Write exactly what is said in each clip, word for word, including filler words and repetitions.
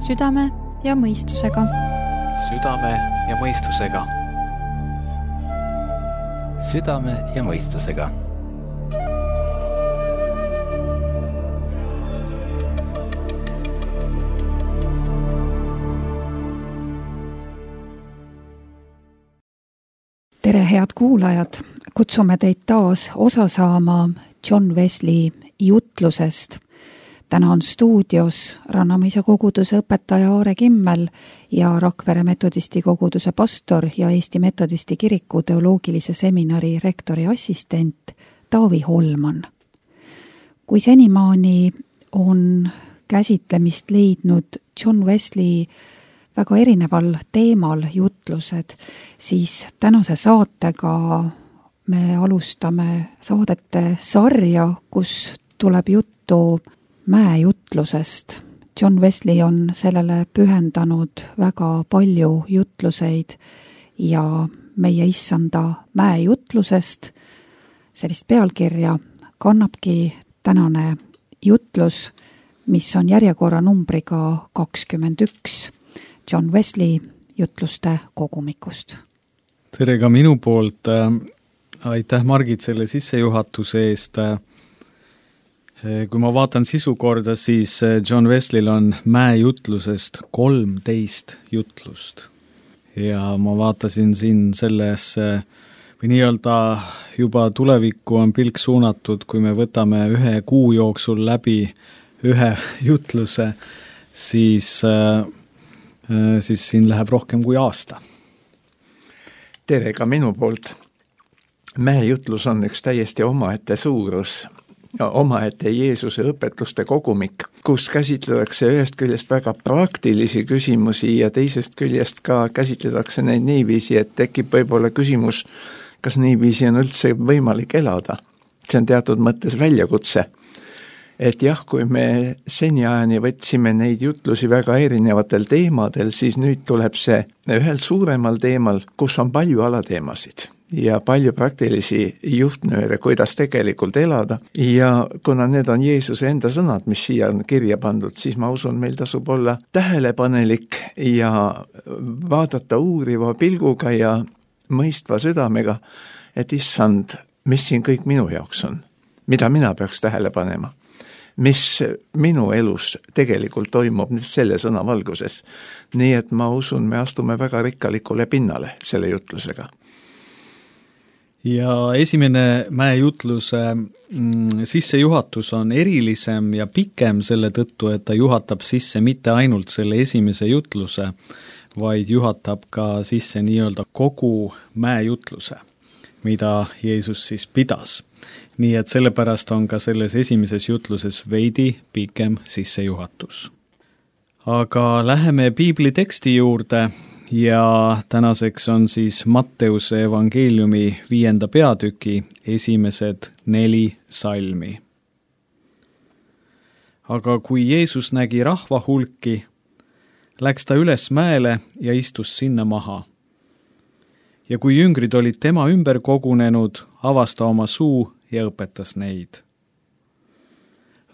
südame ja mõistusega. Südame ja mõistusega. Südame ja mõistusega. Tere, head kuulajad! Kutsume teid taas osa saama John Wesley jutlusest. Täna on stuudios Rannamäise koguduse õpetaja Aare Kimmel ja Rakvere metodisti koguduse pastor ja Eesti metodisti kiriku teoloogilise seminari rektori assistent Taavi Holman. Kui senimaani on käsitlemist leidnud John Wesley väga erineval teemal jutlused, siis tänase saatega me alustame saadete sarja, kus tuleb juttu mäejutlusest. John Wesley on sellele pühendanud väga palju jutluseid ja meie issanda mäejutlusest sellist pealkirja kannabki tänane jutlus, mis on järjekorra numbriga kakskümmend üks. John Wesley jutluste kogumikust. Tere ka minu poolt. Aitäh Margit selle sissejuhatuse eest. Kui ma vaatan sisu korda, siis John Wesleyl on mäejutlusest kolmteist jutlust. Ja ma vaatasin siin selles, või nii-öelda juba tulevikku on pilk suunatud, kui me võtame ühe kuu jooksul läbi ühe jutluse, siis siis siin läheb rohkem kui aasta. Tere ka minu poolt. Mäejutlus on üks täiesti omaette suurus, omaette Jeesuse õpetuste kogumik, kus käsitletakse ühest küljest väga praktilisi küsimusi ja teisest küljest ka käsitletakse neid niiviisi, et tekib võib-olla küsimus, kas niiviisi on üldse võimalik elada. See on teatud mõttes väljakutse. Et jah, kui me seniajani võtsime neid jutlusi väga erinevatel teemadel, siis nüüd tuleb see ühel suuremal teemal, kus on palju alateemasid ja palju praktilisi juhtnööre, kuidas tegelikult elada. Ja kuna need on Jeesuse enda sõnad, mis siia on kirja pandud, siis ma usun, meil tasub olla tähelepanelik ja vaadata uuriva pilguga ja mõistva südamega, et issand, mis siin kõik minu jaoks on, mida mina peaks tähele panema. Mis minu elus tegelikult toimub selle sõna valguses. Nii et ma usun, me astume väga rikkalikule pinnale selle jutlusega. Ja esimene mäejutluse mm, sissejuhatus on erilisem ja pikem selle tõttu, et ta juhatab sisse mitte ainult selle esimese jutluse, vaid juhatab ka sisse nii-öelda kogu mäejutluse, mida Jeesus siis pidas. Nii et sellepärast on ka selles esimeses jutluses veidi pikem sissejuhatus. Aga läheme piibli teksti juurde ja tänaseks on siis Matteuse evangeeliumi viienda peatüki esimesed neli salmi. Aga kui Jeesus nägi rahva hulki, läks ta üles mäele ja istus sinna maha. Ja kui jüngrid olid tema ümber kogunenud, avas ta oma suu ja õpetas neid.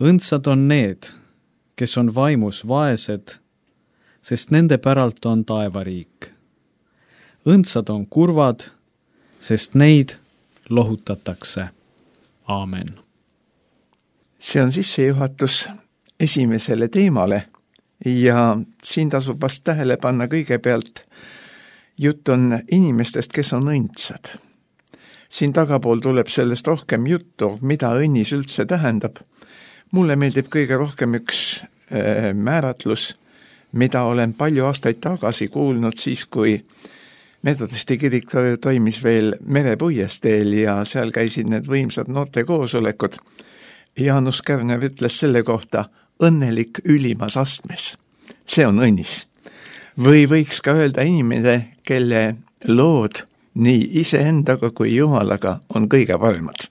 Õndsad on need, kes on vaimus vaesed, sest nende päralt on taevariik. Õndsad on kurvad, sest neid lohutatakse. Aamen. See on sissejuhatus esimesele teemale ja siin tasub vast tähele panna kõigepealt jutt on inimestest, kes on õndsad. Siin tagapool tuleb sellest rohkem juttu, mida õnnis üldse tähendab. Mulle meeldib kõige rohkem üks äh, määratlus, mida olen palju aastaid tagasi kuulnud siis, kui metodisti kirik toimis veel merepuiesteel ja seal käisid need võimsad noorte koosolekud. Jaanus Kärner ütles selle kohta õnnelik ülimas astmes. See on õnnis. Või võiks ka öelda inimene, kelle lood nii iseendaga kui Jumalaga on kõige paremad.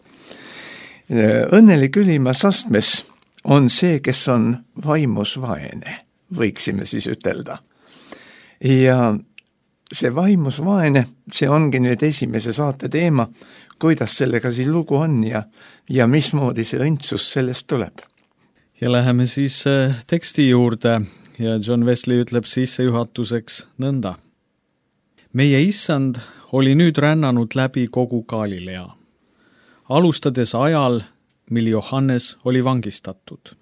Õnnelik ülimas astmes on see, kes on vaimus vaene, võiksime siis ütelda. Ja see vaimus vaene, see ongi nüüd esimese saate teema, kuidas sellega siin lugu on ja, ja mismoodi see õndsus sellest tuleb. Ja läheme siis teksti juurde ja John Wesley ütleb sissejuhatuseks nõnda. meie issand oli nüüd rännanud läbi kogu Galilea, alustades ajal, mil Johannes oli vangistatud.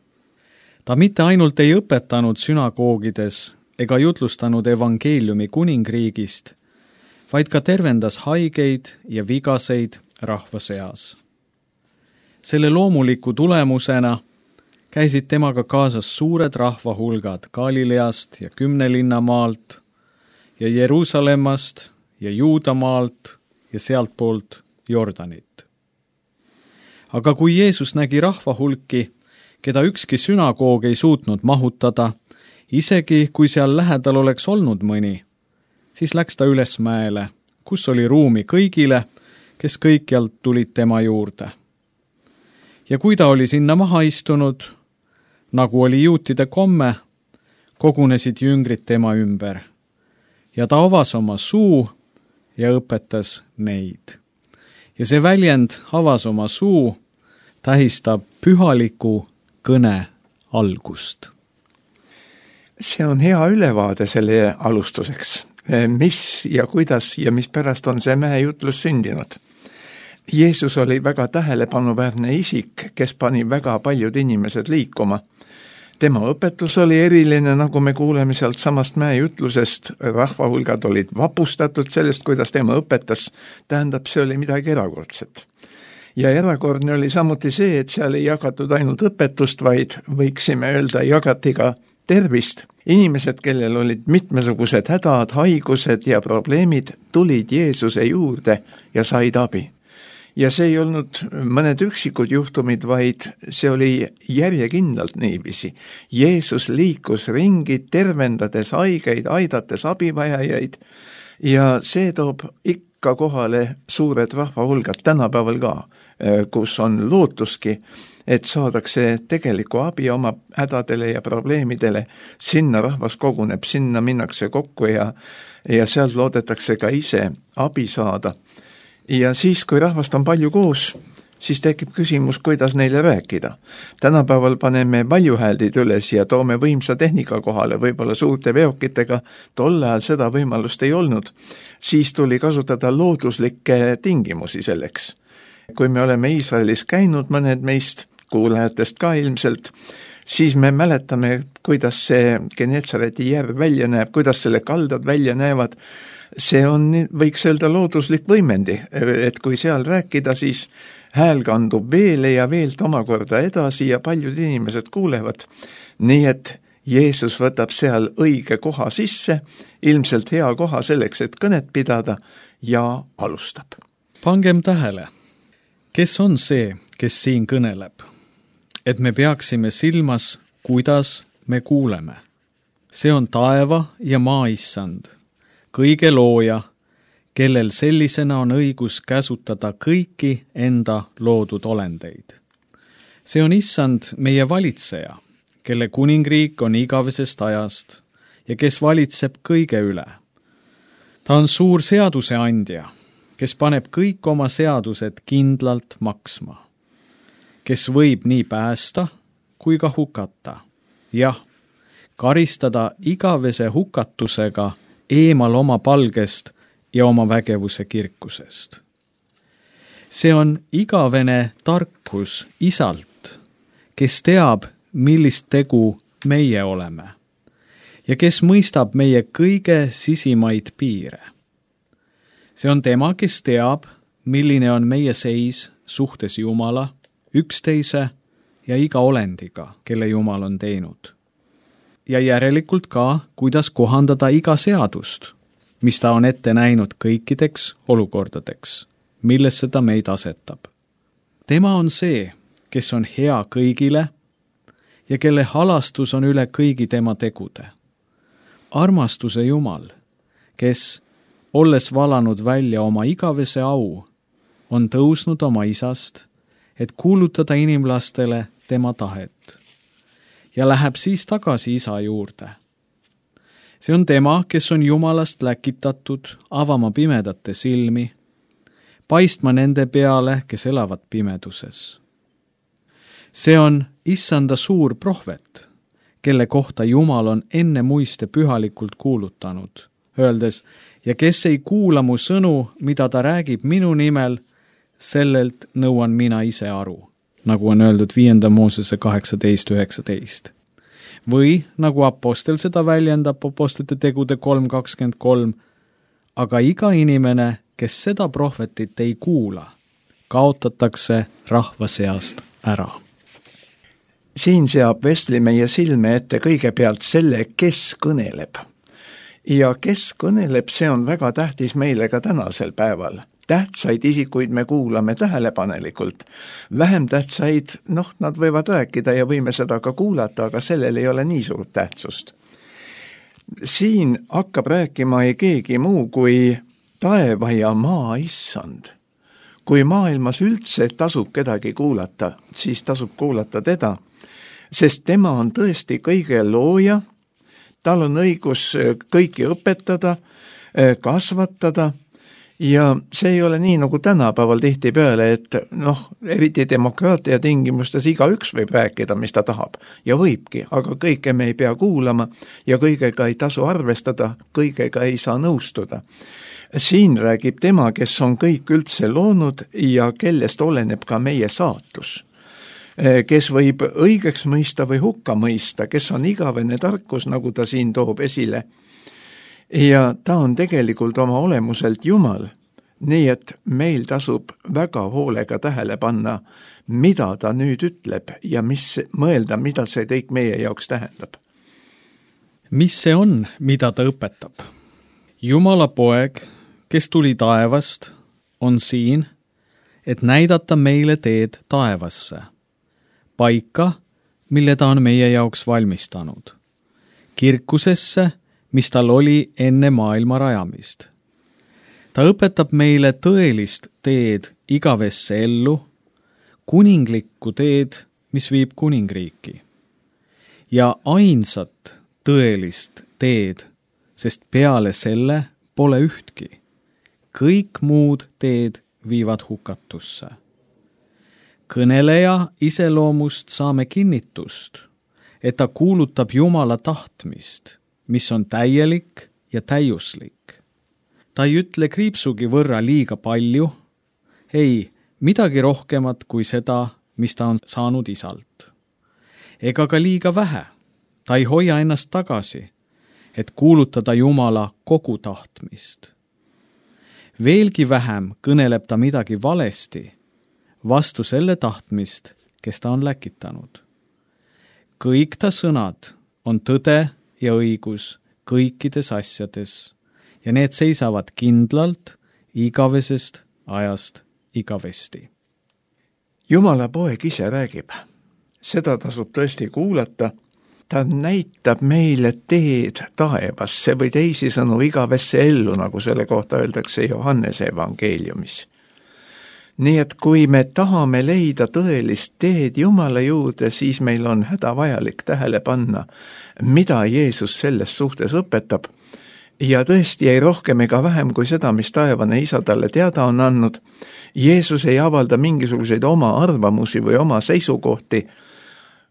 ta mitte ainult ei õpetanud sünagoogides ega jutlustanud evangeeliumi kuningriigist, vaid ka tervendas haigeid ja vigaseid rahva seas. selle loomuliku tulemusena käisid temaga kaasas suured rahvahulgad Galileast ja Kümnelinnamaalt ja Jeruusalemmast ja Juudamaalt ja sealtpoolt Jordanit. aga kui Jeesus nägi rahvahulki, keda ükski sünagoog ei suutnud mahutada, isegi kui seal lähedal oleks olnud mõni, siis läks ta üles mäele, kus oli ruumi kõigile, kes kõikjalt tulid tema juurde. ja kui ta oli sinna maha istunud, nagu oli juutide komme, kogunesid jüngrid tema ümber ja ta avas oma suu ja õpetas neid. ja see väljend avas oma suu tähistab pühaliku kõne algust. See on hea ülevaade selle alustuseks, mis ja kuidas ja mispärast on see mäejutlus sündinud. Jeesus oli väga tähelepanuväärne isik, kes pani väga paljud inimesed liikuma. Tema õpetus oli eriline, nagu me kuuleme sealt samast mäejutlusest, rahvahulgad olid vapustatud sellest, kuidas tema õpetas, tähendab, see oli midagi erakordset. Ja erakordne oli samuti see, et seal ei jagatud ainult õpetust, vaid võiksime öelda, jagati ka tervist. Inimesed, kellel olid mitmesugused hädad, haigused ja probleemid, tulid Jeesuse juurde ja said abi. Ja see ei olnud mõned üksikud juhtumid, vaid see oli järjekindlalt niiviisi. Jeesus liikus ringi, tervendades haigeid, aidates abivajajaid ja see toob ikka kohale suured rahvahulgad tänapäeval ka, kus on lootuski, et saadakse tegelikku abi oma hädadele ja probleemidele. Sinna rahvas koguneb, sinna minnakse kokku ja, ja sealt loodetakse ka ise abi saada. Ja siis, kui rahvast on palju koos, siis tekib küsimus, kuidas neile rääkida. Tänapäeval paneme valjuhääldid üles ja toome võimsa tehnika kohale, võib-olla suurte veokitega, tol ajal seda võimalust ei olnud. Siis tuli kasutada looduslikke tingimusi selleks. Kui me oleme Iisraelis käinud, mõned meist, kuulajatest ka ilmselt, siis me mäletame, kuidas see Genetsareti järv välja näeb, kuidas selle kaldad välja näevad. See on, võiks öelda, looduslik võimendi, et kui seal rääkida, siis hääl kandub veele ja veelt omakorda edasi ja paljud inimesed kuulevad. Nii et Jeesus võtab seal õige koha sisse, ilmselt hea koha selleks, et kõnet pidada ja alustab. Pangem tähele, kes on see, kes siin kõneleb? Et me peaksime silmas, kuidas me kuuleme. See on taeva ja maa issand, kõige looja, kellel sellisena on õigus käsutada kõiki enda loodud olendeid. See on issand meie valitseja, kelle kuningriik on igavesest ajast ja kes valitseb kõige üle. Ta on suur seaduseandja, kes paneb kõik oma seadused kindlalt maksma, kes võib nii päästa kui ka hukata. Jah, karistada igavese hukatusega eemal oma palgest ja oma vägevuse kirkusest. See on igavene tarkus isalt, kes teab, millist tegu meie oleme ja kes mõistab meie kõige sisimaid piire. See on tema, kes teab, milline on meie seis suhtes Jumala, üksteise ja iga olendiga, kelle Jumal on teinud. Ja järelikult ka, kuidas kohandada iga seadust, mis ta on ette näinud kõikideks olukordadeks, millesse ta meid asetab. Tema on see, kes on hea kõigile ja kelle halastus on üle kõigi tema tegude. Armastuse Jumal, kes, olles valanud välja oma igavese au, on tõusnud oma isast, et kuulutada inimlastele tema tahet. Ja läheb siis tagasi isa juurde. See on tema, kes on Jumalast läkitatud avama pimedate silmi, paistma nende peale, kes elavad pimeduses. See on issanda suur prohvet, kelle kohta Jumal on enne muiste pühalikult kuulutanud, öeldes, ja kes ei kuula mu sõnu, mida ta räägib minu nimel, sellelt nõuan mina ise aru, nagu on öeldud viienda Moosese kaheksateist üheksateist. Või nagu apostel seda väljendab apostlite tegude kolm kakskümmend kolm, aga iga inimene, kes seda prohvetit ei kuula, kaotatakse rahva seast ära. Siin seab Wesley meie silme ette kõigepealt selle, kes kõneleb. Ja kes kõneleb, see on väga tähtis meile ka tänasel päeval. Tähtsaid isikuid me kuulame tähelepanelikult. Vähem tähtsaid, noh, nad võivad rääkida ja võime seda ka kuulata, aga sellel ei ole nii suurt tähtsust. Siin hakkab rääkima ei keegi muu kui taeva ja maa issand. Kui maailmas üldse tasub kedagi kuulata, siis tasub kuulata teda, sest tema on tõesti kõige looja, tal on õigus kõiki õpetada, kasvatada, ja see ei ole nii nagu tänapäeval tihtipeale, et noh, eriti demokraatia tingimustes iga üks võib rääkida, mis ta tahab ja võibki, aga kõike me ei pea kuulama ja kõigega ei tasu arvestada, kõigega ei saa nõustuda. Siin räägib tema, kes on kõik üldse loonud ja kellest oleneb ka meie saatus, kes võib õigeks mõista või hukka mõista, kes on igavene tarkus, nagu ta siin toob esile. Ja ta on tegelikult oma olemuselt Jumal, nii et meil tasub väga hoolega tähele panna, mida ta nüüd ütleb ja mis mõelda, mida see kõik meie jaoks tähendab. Mis see on, mida ta õpetab? Jumala poeg, kes tuli taevast, on siin, et näidata meile teed taevasse, paika, mille ta on meie jaoks valmistanud, kirkusesse, mis tal oli enne maailma rajamist. Ta õpetab meile tõelist teed igavesse ellu, kuninglikku teed, mis viib kuningriiki. Ja ainsat tõelist teed, sest peale selle pole ühtki. Kõik muud teed viivad hukatusse. Kõneleja iseloomust saame kinnitust, et ta kuulutab Jumala tahtmist, mis on täielik ja täiuslik. Ta ei ütle kriipsugi võrra liiga palju, ei, midagi rohkemat kui seda, mis ta on saanud isalt. Ega ka liiga vähe, ta ei hoia ennast tagasi, et kuulutada Jumala kogu tahtmist. Veelgi vähem kõneleb ta midagi valesti, vastu selle tahtmist, kes ta on läkitanud. Kõik ta sõnad on tõde ja õigus kõikides asjades ja need seisavad kindlalt igavesest ajast igavesti. Jumala poeg ise räägib. Seda tasub tõesti kuulata. Ta näitab meile teed taevasse või teisisõnu igavesse ellu, nagu selle kohta öeldakse Johannese evangeeliumis. Nii et kui me tahame leida tõelist teed Jumala juurde, siis meil on hädavajalik tähele panna, mida Jeesus selles suhtes õpetab. Ja tõesti ei rohkem ega vähem kui seda, mis taevane isa talle teada on andnud. Jeesus ei avalda mingisuguseid oma arvamusi või oma seisukohti.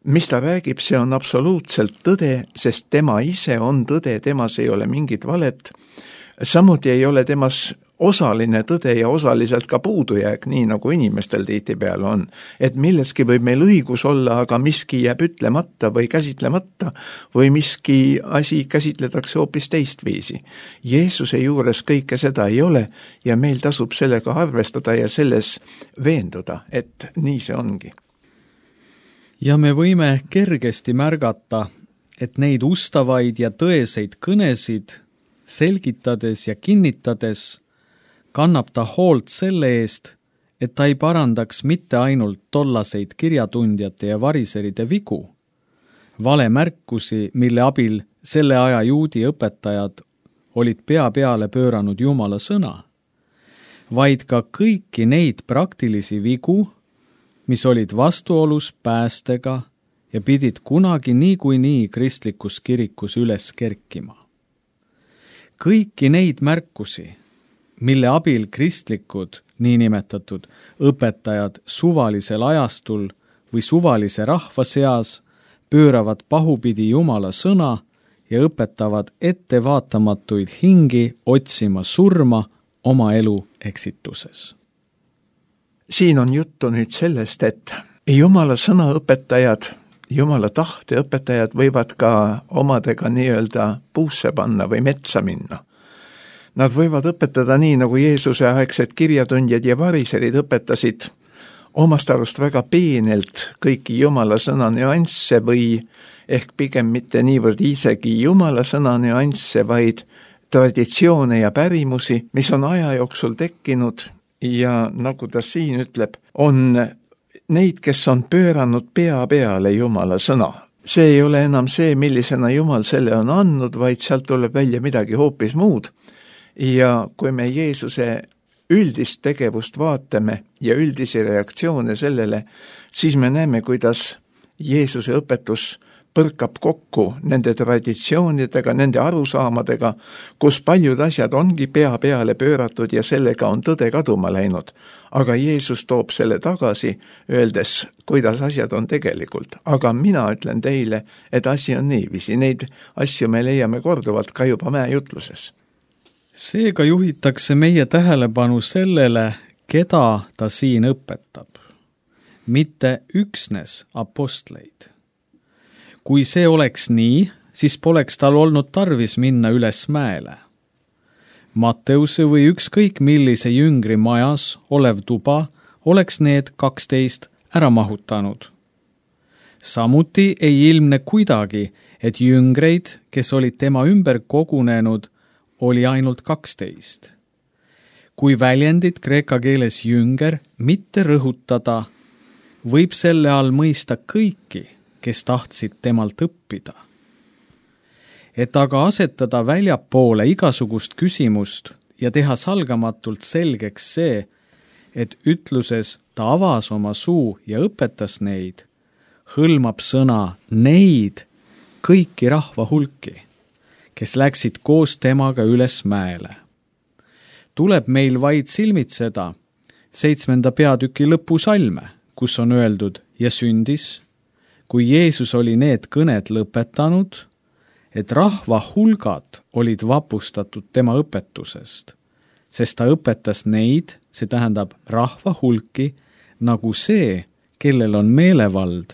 Mis ta räägib, see on absoluutselt tõde, sest tema ise on tõde, temas ei ole mingit valet. Samuti ei ole temas osaline tõde ja osaliselt ka puudujääk, nii nagu inimestel tihtipeale on. Et milleski võib meil õigus olla, aga miski jääb ütlemata või käsitlemata või miski asi käsitletakse hoopis teistviisi. Jeesuse juures kõike seda ei ole ja meil tasub sellega arvestada ja selles veenduda, et nii see ongi. Ja me võime kergesti märgata, et neid ustavaid ja tõeseid kõnesid selgitades ja kinnitades kannab ta hoolt selle eest, et ta ei parandaks mitte ainult tollaseid kirjatundjate ja variseride vigu, valemärkusi, mille abil selle aja juudi õpetajad olid pea peale pööranud Jumala sõna, vaid ka kõiki neid praktilisi vigu, mis olid vastuolus päästega ja pidid kunagi niikuinii kristlikus kirikus üles kerkima. Kõiki neid märkusi, mille abil kristlikud, niinimetatud õpetajad suvalisel ajastul või suvalise rahva seas pööravad pahupidi Jumala sõna ja õpetavad ettevaatamatuid hingi otsima surma oma elu eksituses. Siin on juttu nüüd sellest, et Jumala sõna õpetajad, Jumala tahte õpetajad võivad ka omadega nii-öelda puusse panna või metsa minna. Nad võivad õpetada nii, nagu Jeesuse aegsed kirjatundjad ja variserid õpetasid omast arust väga peenelt kõiki Jumala sõna nüansse või ehk pigem mitte niivõrd isegi Jumala sõna nüansse, vaid traditsioone ja pärimusi, mis on aja jooksul tekkinud ja nagu ta siin ütleb, on neid, kes on pööranud pea peale Jumala sõna. See ei ole enam see, millisena Jumal selle on andnud, vaid sealt tuleb välja midagi hoopis muud. Ja kui me Jeesuse üldist tegevust vaatame ja üldisi reaktsioone sellele, siis me näeme, kuidas Jeesuse õpetus põrkab kokku nende traditsioonidega, nende arusaamadega, kus paljud asjad ongi pea peale pööratud ja sellega on tõde kaduma läinud. Aga Jeesus toob selle tagasi, öeldes, kuidas asjad on tegelikult. Aga mina ütlen teile, et asi on niiviisi. Neid asju me leiame korduvalt ka juba mäejutluses. Seega juhitakse meie tähelepanu sellele, keda ta siin õpetab. Mitte üksnes apostleid. Kui see oleks nii, siis poleks tal olnud tarvis minna üles mäele. Matteuse või ükskõik millise jüngri majas olev tuba oleks need kaksteist ära mahutanud. Samuti ei ilmne kuidagi, et jüngreid, kes olid tema ümber kogunenud, oli ainult kaksteist. Kui väljendit kreeka keeles jünger mitte rõhutada, võib selle all mõista kõiki, kes tahtsid temalt õppida. Et aga asetada väljapoole igasugust küsimust ja teha salgamatult selgeks see, et ütluses ta avas oma suu ja õpetas neid, hõlmab sõna neid kõiki rahva hulki, kes läksid koos temaga üles mäele. Tuleb meil vaid silmitseda seitsmenda peatüki lõpusalme, kus on öeldud ja sündis, kui Jeesus oli need kõned lõpetanud, et rahva hulgad olid vapustatud tema õpetusest, sest ta õpetas neid, see tähendab rahva hulki, nagu see, kellel on meelevald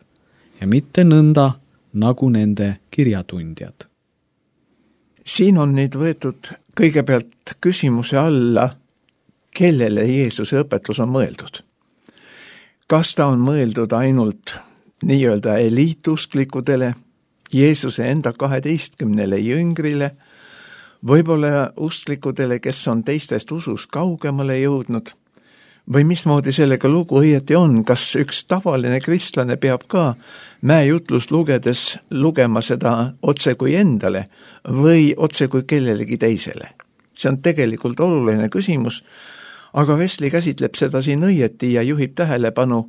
ja mitte nõnda, nagu nende kirjatundjad. Siin on nüüd võetud kõigepealt küsimuse alla, kellele Jeesuse õpetus on mõeldud. Kas ta on mõeldud ainult nii-öelda eliitusklikudele, Jeesuse enda kaheteistkümnele jüngrile, võib-olla usklikudele, kes on teistest usus kaugemale jõudnud, või mismoodi sellega lugu õieti on, kas üks tavaline kristlane peab ka mäejutlust lugedes lugema seda otse kui endale või otse kui kellelegi teisele. See on tegelikult oluline küsimus, aga Wesley käsitleb seda siin õieti ja juhib tähelepanu,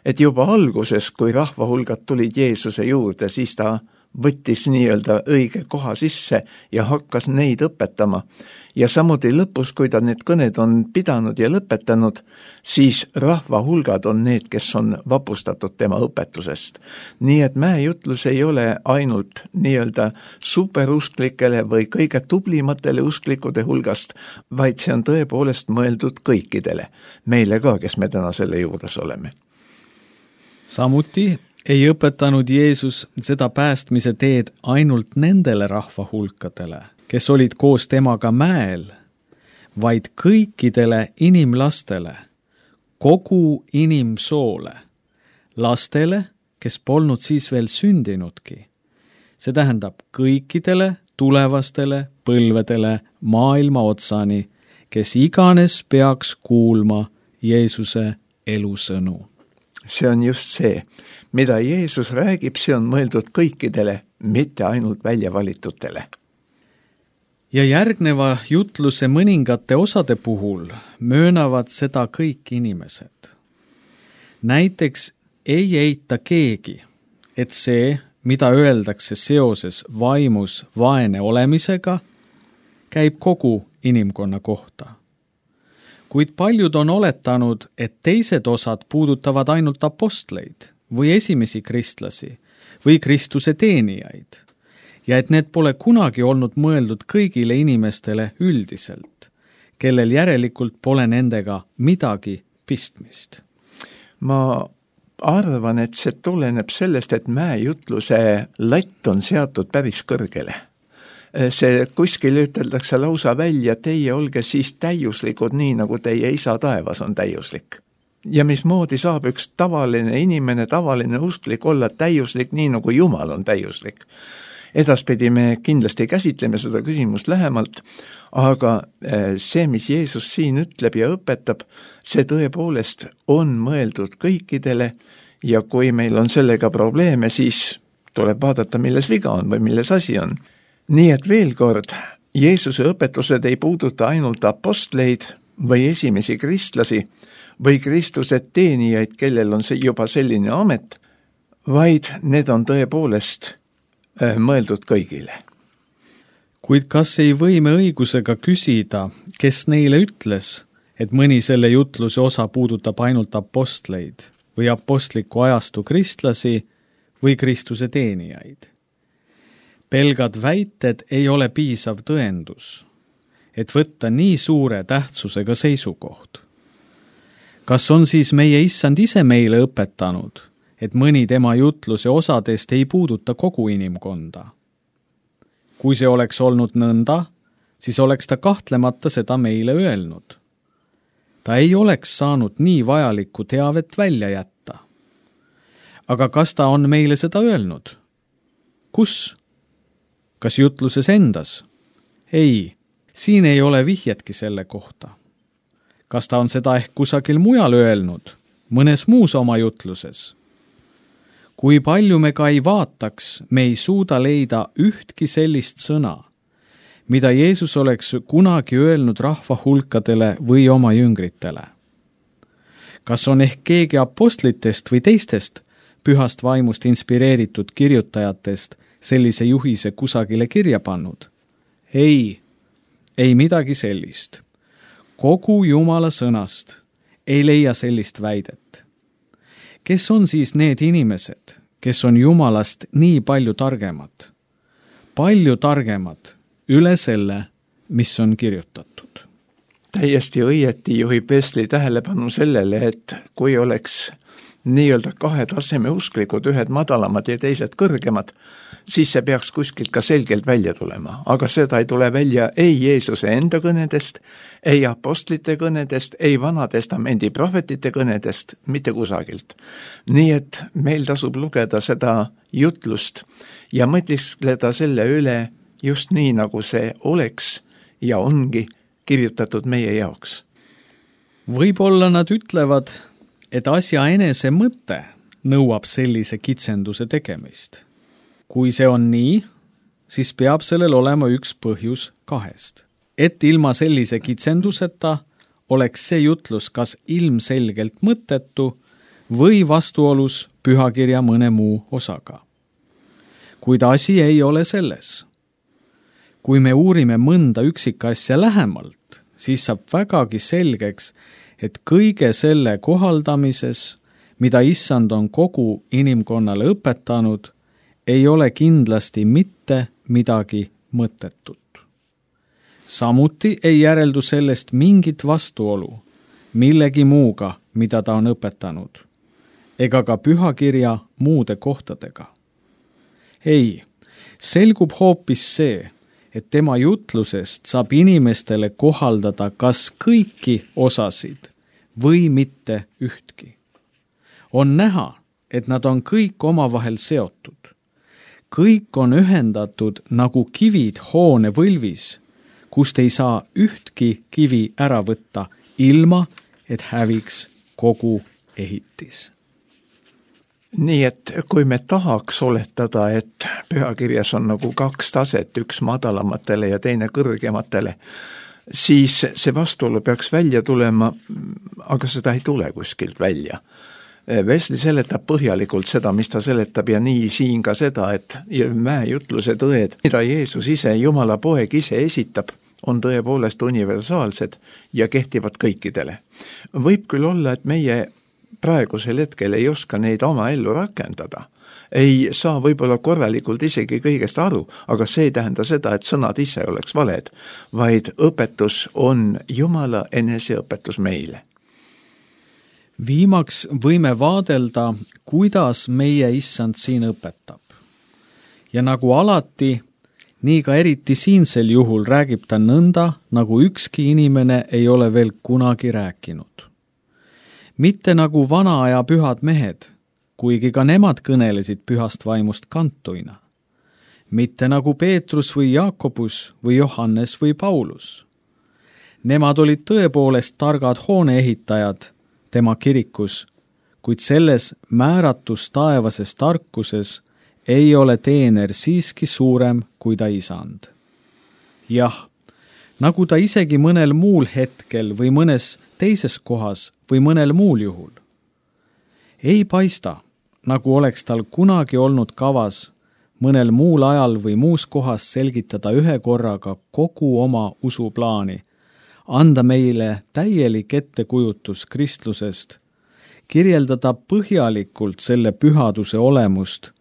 et juba alguses, kui rahvahulgad tulid Jeesuse juurde, siis ta võttis nii-öelda õige koha sisse ja hakkas neid õpetama. Ja samuti lõpus, kui ta need kõned on pidanud ja lõpetanud, siis rahvahulgad on need, kes on vapustatud tema õpetusest. Nii et mäejutlus ei ole ainult nii-öelda superusklikele või kõige tublimatele usklikude hulgast, vaid see on tõepoolest mõeldud kõikidele, meile ka, kes me täna selle juures oleme. Samuti ei õpetanud Jeesus seda päästmise teed ainult nendele rahvahulkadele, kes olid koos temaga mäel, vaid kõikidele inimlastele, kogu inimsoole, lastele, kes polnud siis veel sündinudki. See tähendab kõikidele tulevastele põlvedele maailma otsani, kes iganes peaks kuulma Jeesuse elusõnu. See on just see, mida Jeesus räägib, see on mõeldud kõikidele, mitte ainult väljavalitutele. Ja järgneva jutluse mõningate osade puhul möönavad seda kõik inimesed. Näiteks ei eita keegi, et see, mida öeldakse seoses vaimus vaene olemisega, käib kogu inimkonna kohta. Kuid paljud on oletanud, et teised osad puudutavad ainult apostleid või esimesi kristlasi või Kristuse teenijaid ja et need pole kunagi olnud mõeldud kõigile inimestele üldiselt, kellel järelikult pole nendega midagi pistmist. Ma arvan, et see tuleneb sellest, et mäejutluse latt on seatud päris kõrgele. See kuskil üteldakse lausa välja, teie olge siis täiuslikud nii, nagu teie isa taevas on täiuslik. Ja mismoodi saab üks tavaline inimene, tavaline usklik olla täiuslik nii, nagu Jumal on täiuslik. Edaspidi me kindlasti käsitleme seda küsimust lähemalt, aga see, mis Jeesus siin ütleb ja õpetab, see tõepoolest on mõeldud kõikidele ja kui meil on sellega probleeme, siis tuleb vaadata, milles viga on või milles asi on. Nii et veel kord, Jeesuse õpetused ei puuduta ainult apostleid või esimesi kristlasi või Kristuse teenijaid, kellel on see juba selline amet, vaid need on tõepoolest mõeldud kõigile. Kuid kas ei või me õigusega küsida, kes neile ütles, et mõni selle jutluse osa puudutab ainult apostleid või apostliku ajastu kristlasi või Kristuse teenijaid? Pelgad väited ei ole piisav tõendus, et võtta nii suure tähtsusega seisukoht. Kas on siis meie issand ise meile õpetanud, et mõni tema jutluse osadest ei puuduta kogu inimkonda? Kui see oleks olnud nõnda, siis oleks ta kahtlemata seda meile öelnud. Ta ei oleks saanud nii vajalikku teavet välja jätta. Aga kas ta on meile seda öelnud? Kus? Kas jutluses endas? Ei, siin ei ole vihjetki selle kohta. Kas ta on seda ehk kusagil mujal öelnud, mõnes muus oma jutluses? Kui palju me ka ei vaataks, me ei suuda leida ühtki sellist sõna, mida Jeesus oleks kunagi öelnud rahva hulkadele või oma jüngritele. Kas on ehk keegi apostlitest või teistest pühast vaimust inspireeritud kirjutajatest sellise juhise kusagile kirja pannud? Ei, ei midagi sellist. Kogu Jumala sõnast ei leia sellist väidet. Kes on siis need inimesed, kes on Jumalast nii palju targemad? Palju targemad üle selle, mis on kirjutatud. Täiesti õieti juhib Wesley tähelepanu sellele, et kui oleks nii-öelda kahe taseme usklikud, ühed madalamad ja teised kõrgemad, siis see peaks kuskilt ka selgelt välja tulema. Aga seda ei tule välja ei Jeesuse enda kõnedest, ei apostlite kõnedest, ei Vanatestamendi prohvetite kõnedest, mitte kusagilt. Nii et meil tasub lugeda seda jutlust ja mõtiskleda selle üle just nii, nagu see oleks ja ongi kirjutatud meie jaoks. Võib-olla nad ütlevad, et asja enese mõte nõuab sellise kitsenduse tegemist. Kui see on nii, siis peab sellel olema üks põhjus kahest. Et ilma sellise kitsenduseta oleks see jutlus kas ilmselgelt mõttetu või vastuolus pühakirja mõne muu osaga. Kuid asi ei ole selles. Kui me uurime mõnda üksikasja lähemalt, siis saab vägagi selgeks, et kõige selle kohaldamises, mida issand on kogu inimkonnale õpetanud, ei ole kindlasti mitte midagi mõttetut. Samuti ei järeldu sellest mingit vastuolu millegi muuga, mida ta on õpetanud, ega ka pühakirja muude kohtadega. Ei, selgub hoopis see, et tema jutlusest saab inimestele kohaldada kas kõiki osasid või mitte ühtki. On näha, et nad on kõik omavahel seotud. Kõik on ühendatud nagu kivid hoone võlvis, kust ei saa ühtki kivi ära võtta, ilma et häviks kogu ehitis. Nii et kui me tahaks oletada, et pühakirjas on nagu kaks taset, üks madalamatele ja teine kõrgematele, siis see vastuolu peaks välja tulema, aga seda ei tule kuskilt välja. Wesley seletab põhjalikult seda, mis ta seletab ja nii siin ka seda, et mäejutluse tõed, mida Jeesus ise, Jumala poeg ise esitab, on tõepoolest universaalsed ja kehtivad kõikidele. Võib küll olla, et meie praegusel hetkel ei oska neid oma ellu rakendada, ei saa võib-olla korralikult isegi kõigest aru, aga see ei tähenda seda, et sõnad ise oleks valed, vaid õpetus on Jumala eneseõpetus meile. Viimaks võime vaadelda, kuidas meie issand siin õpetab. Ja nagu alati, nii ka eriti siinsel juhul räägib ta nõnda, nagu ükski inimene ei ole veel kunagi rääkinud. Mitte nagu vana aja pühad mehed, kuigi ka nemad kõnelesid pühast vaimust kantuina. Mitte nagu Peetrus või Jaakobus või Johannes või Paulus. Nemad olid tõepoolest targad hooneehitajad tema kirikus, kuid selles määratus taevases tarkuses ei ole teener siiski suurem kui ta isand. Jah, nagu ta isegi mõnel muul hetkel või mõnes teises kohas või mõnel muul juhul. Ei paista, nagu oleks tal kunagi olnud kavas mõnel muul ajal või muus kohas selgitada ühe korraga kogu oma usuplaani, anda meile täielik ettekujutus kristlusest, kirjeldada põhjalikult selle pühaduse olemust,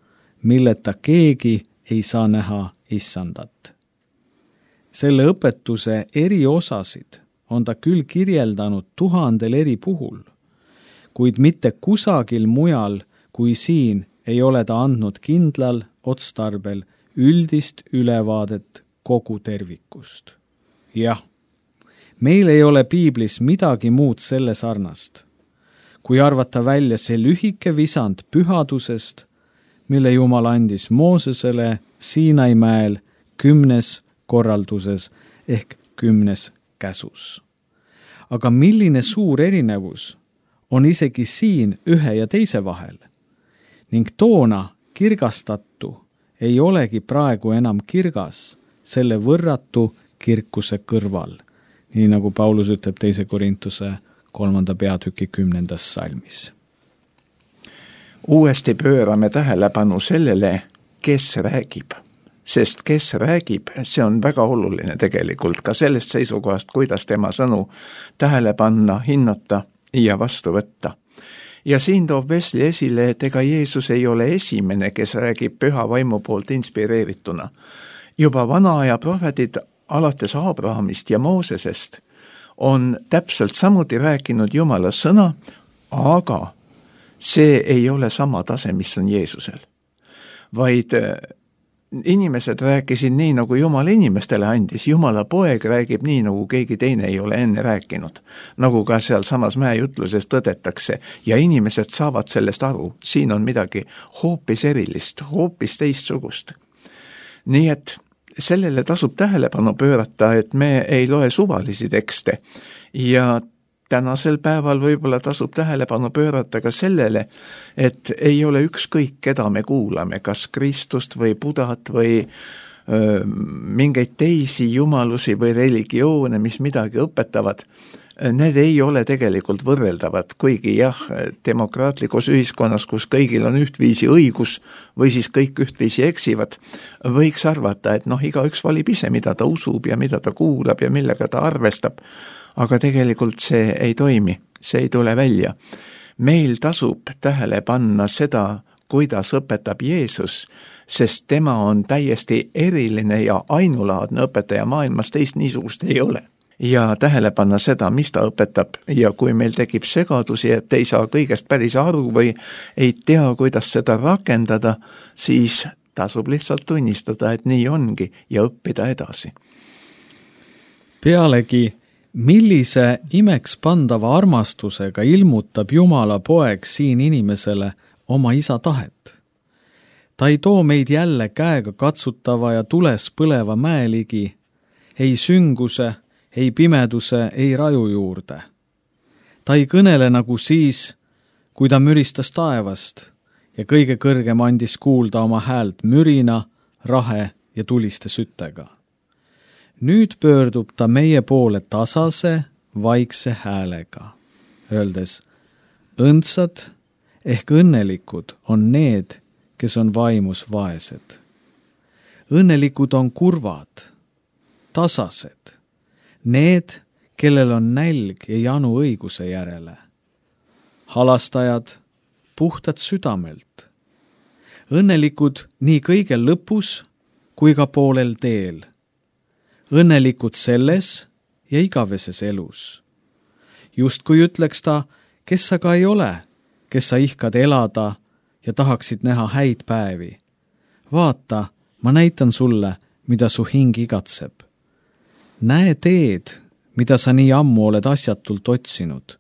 milleta keegi ei saa näha issandat. Selle õpetuse eri osasid on ta küll kirjeldanud tuhandel eri puhul, kuid mitte kusagil mujal kui siin ei ole ta andnud kindlal otstarbel üldist ülevaadet kogu tervikust. Jah, meil ei ole piiblis midagi muud selle sarnast, kui arvata välja see lühike visand pühadusest, mille Jumal andis Moosesele Siinai mäel kümnes korralduses ehk kümnes käsus. Aga milline suur erinevus on isegi siin ühe ja teise vahel, ning toona kirgastatu ei olegi praegu enam kirgas selle võrratu kirkuse kõrval, nii nagu Paulus ütleb teise Korintuse kolmanda peatüki kümnendas salmis. Uuesti pöörame tähelepanu sellele, kes räägib. Sest kes räägib, see on väga oluline tegelikult ka sellest seisukohast, kuidas tema sõnu tähele panna, hinnata ja vastu võtta. Ja siin toob Wesley esile, et ega Jeesus ei ole esimene, kes räägib püha vaimu poolt inspireerituna. Juba vana aja prohvetid alates Abrahamist ja Moosesest on täpselt samuti rääkinud Jumala sõna, aga see ei ole sama tase, mis on Jeesusel. Vaid inimesed rääkisid nii, nagu Jumal inimestele andis. Jumala poeg räägib nii, nagu keegi teine ei ole enne rääkinud. Nagu ka seal samas mäejutluses tõdetakse. Ja inimesed saavad sellest aru. Siin on midagi hoopis erilist, hoopis teistsugust. Nii et sellele tasub tähelepanu pöörata, et me ei loe suvalisi tekste. Ja tänasel päeval võib-olla tasub tähelepanu pöörata ka sellele, et ei ole ükskõik, keda me kuulame, kas Kristust või Budat või öö, mingeid teisi jumalusi või religioone, mis midagi õpetavad. Need ei ole tegelikult võrreldavad, kuigi jah, demokraatlikus ühiskonnas, kus kõigil on ühtviisi õigus või siis kõik ühtviisi eksivad, võiks arvata, et noh, igaüks valib ise, mida ta usub ja mida ta kuulab ja millega ta arvestab. Aga tegelikult see ei toimi, see ei tule välja. Meil tasub tähele panna seda, kuidas õpetab Jeesus, sest tema on täiesti eriline ja ainulaadne õpetaja maailmas, teist niisugust ei ole. Ja tähele panna seda, mis ta õpetab, ja kui meil tekib segadusi, et ei saa kõigest päris aru või ei tea, kuidas seda rakendada, siis tasub lihtsalt tunnistada, et nii ongi ja õppida edasi. Pealegi, millise imeks pandava armastusega ilmutab Jumala poeg siin inimesele oma isa tahet. Ta ei too meid jälle käega katsutava ja tules põleva mäeligi, ei sünguse, ei pimeduse, ei raju juurde. Ta ei kõnele nagu siis, kui ta müristas taevast ja kõige kõrgem andis kuulda oma häält mürina, rahe ja tuliste süttega. Nüüd pöördub ta meie poole tasase, vaikse häälega, öeldes, õndsad ehk õnnelikud on need, kes on vaimus vaesed. Õnnelikud on kurvad, tasased, need, kellel on nälg ja janu õiguse järele. Halastajad, puhtad südamelt. õnnelikud nii kõigel lõpus kui ka poolel teel. Õnnelikud selles ja igaveses elus. Just kui ütleks ta, kes sa ka ei ole, kes sa ihkad elada ja tahaksid näha häid päevi. Vaata, ma näitan sulle, mida su hing igatseb. Näe teed, mida sa nii ammu oled asjatult otsinud.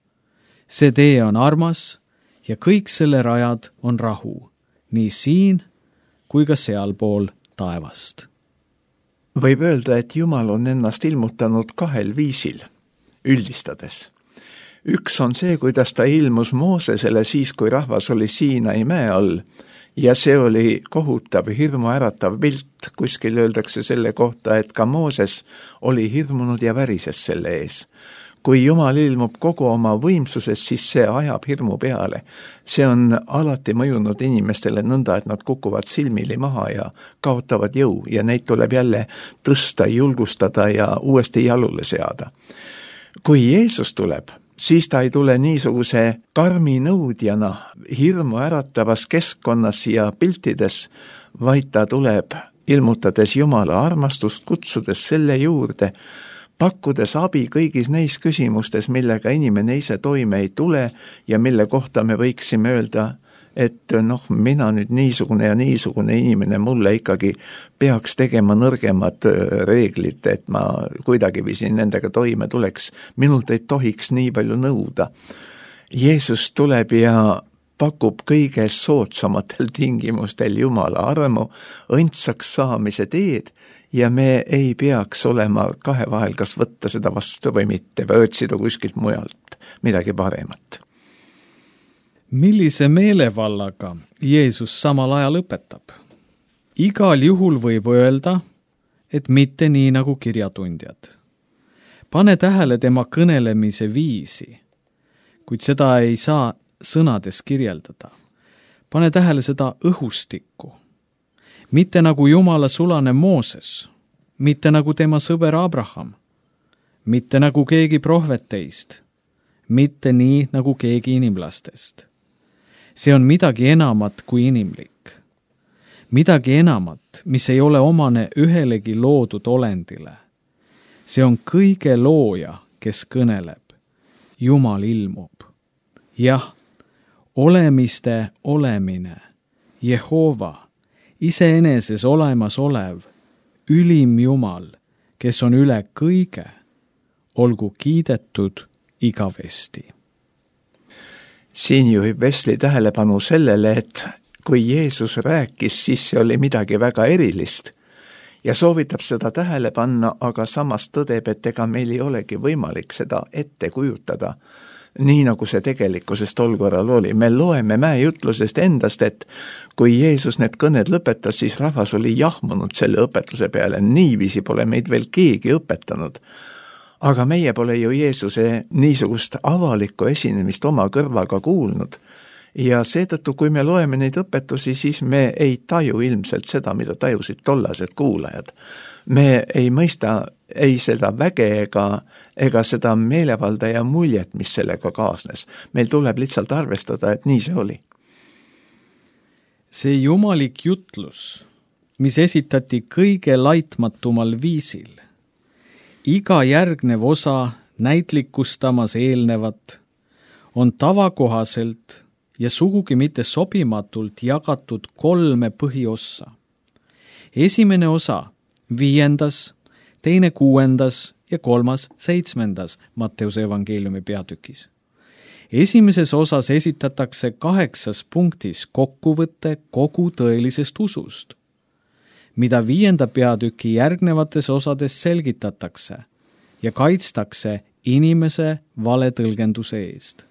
See tee on armas ja kõik selle rajad on rahu, nii siin kui ka sealpool taevast. Võib öelda, et Jumal on ennast ilmutanud kahel viisil, üldistades. Üks on see, kuidas ta ilmus Moosesele siis, kui rahvas oli Siinai mäe all, ja see oli kohutav, hirmuäratav pilt. Kuskil öeldakse selle kohta, et ka Mooses oli hirmunud ja värises selle ees. Kui Jumal ilmub kogu oma võimsuses, siis see ajab hirmu peale. See on alati mõjunud inimestele nõnda, et nad kukuvad silmili maha ja kaotavad jõu ja neid tuleb jälle tõsta, julgustada ja uuesti jalule seada. Kui Jeesus tuleb, siis ta ei tule niisuguse karmi nõudjana hirmu äratavas keskkonnas ja piltides, vaid ta tuleb ilmutades Jumala armastust, kutsudes selle juurde, pakkudes abi kõigis neis küsimustes, millega inimene ise toime ei tule ja mille kohta me võiksime öelda, et noh, mina nüüd niisugune ja niisugune inimene, mulle ikkagi peaks tegema nõrgemad reeglid, et ma kuidagi viisin nendega toime tuleks. Minult ei tohiks nii palju nõuda. Jeesus tuleb ja pakub kõige soodsamatel tingimustel Jumala armu, õndsaks saamise teed, ja me ei peaks olema kahe vahel, kas võtta seda vastu või mitte, või otsida kuskilt mujalt midagi paremat. Millise meelevallaga Jeesus samal ajal õpetab? Igal juhul võib öelda, et mitte nii nagu kirjatundjad. Pane tähele tema kõnelemise viisi, kuid seda ei saa sõnades kirjeldada. Pane tähele seda õhustikku. Mitte nagu Jumala sulane Mooses, mitte nagu tema sõber Abraham, mitte nagu keegi prohveteist, mitte nii nagu keegi inimlastest. See on midagi enamat kui inimlik. Midagi enamat, mis ei ole omane ühelegi loodud olendile. See on kõige looja, kes kõneleb. Jumal ilmub. Jah, olemiste olemine, Jehova, iseeneses olemas olev, ülim Jumal, kes on üle kõige, olgu kiidetud igavesti. Siin juhib Wesley tähelepanu sellele, et kui Jeesus rääkis, siis see oli midagi väga erilist ja soovitab seda tähele panna, aga samas tõdeb, et ega meil ei olegi võimalik seda ette kujutada, nii nagu see tegelikkuses tol korral oli. Me loeme mäejutlusest endast, et kui Jeesus need kõned lõpetas, siis rahvas oli jahmunud selle õpetluse peale. Niiviisi pole meid veel keegi õpetanud. Aga meie pole ju Jeesuse niisugust avalikku esinemist oma kõrvaga kuulnud. Ja seetõttu, kui me loeme neid õpetusi, siis me ei taju ilmselt seda, mida tajusid tollased kuulajad. Me ei mõista ei seda väge ega, ega seda meelevalda ja muljet, mis sellega kaasnes. Meil tuleb lihtsalt arvestada, et nii see oli. See jumalik jutlus, mis esitati kõige laitmatumal viisil, iga järgnev osa näitlikustamas eelnevat, on tavakohaselt ja sugugi mitte sobimatult jagatud kolme põhiossa. Esimene osa viiendas, teine kuuendas ja kolmas seitsmendas Matteuse evangeeliumi peatükis. Esimeses osas esitatakse kaheksas punktis kokkuvõte kogu tõelisest usust, mida viienda peatüki järgnevates osades selgitatakse ja kaitstakse inimese valetõlgenduse eest.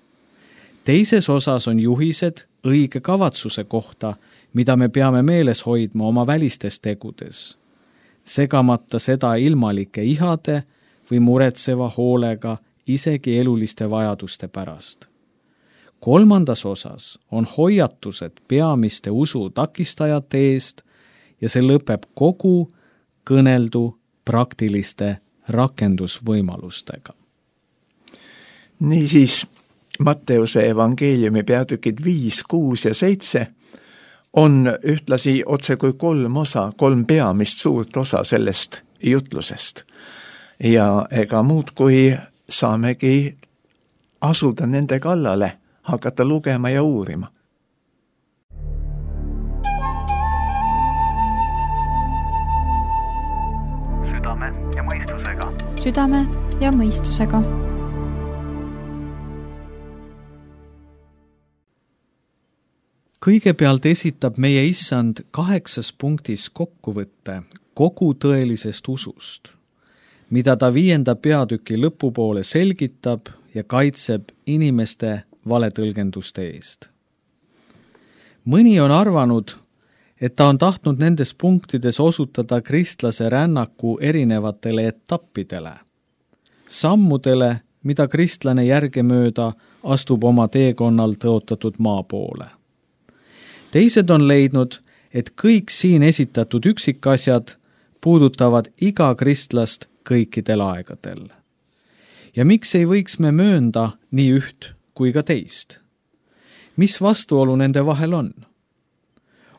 Teises osas on juhised õige kavatsuse kohta, mida me peame meeles hoidma oma välistes tegudes, segamata seda ilmalike ihade või muretseva hoolega isegi eluliste vajaduste pärast. Kolmandas osas on hoiatused peamiste usu takistajate eest ja see lõpeb kogu kõneldu praktiliste rakendusvõimalustega. Niisiis, Matteuse evangeeliumi peatükid viis, kuus ja seitse on ühtlasi otse kui kolm osa, kolm peamist suurt osa sellest jutlusest. Ja ega muud kui saamegi asuda nende kallale, hakata lugema ja uurima. Südame ja mõistusega. Südame ja mõistusega. Kõigepealt esitab meie issand kaheksas punktis kokkuvõtte kogu tõelisest usust, mida ta viienda peatüki lõpupoole selgitab ja kaitseb inimeste valetõlgenduste eest. Mõni on arvanud, et ta on tahtnud nendes punktides osutada kristlase rännaku erinevatele etappidele, sammudele, mida kristlane järgemööda astub oma teekonnal tõotatud maa poole. Teised on leidnud, et kõik siin esitatud üksikasjad puudutavad iga kristlast kõikidel aegadel. Ja miks ei võiks me möönda nii üht kui ka teist? Mis vastuolu nende vahel on?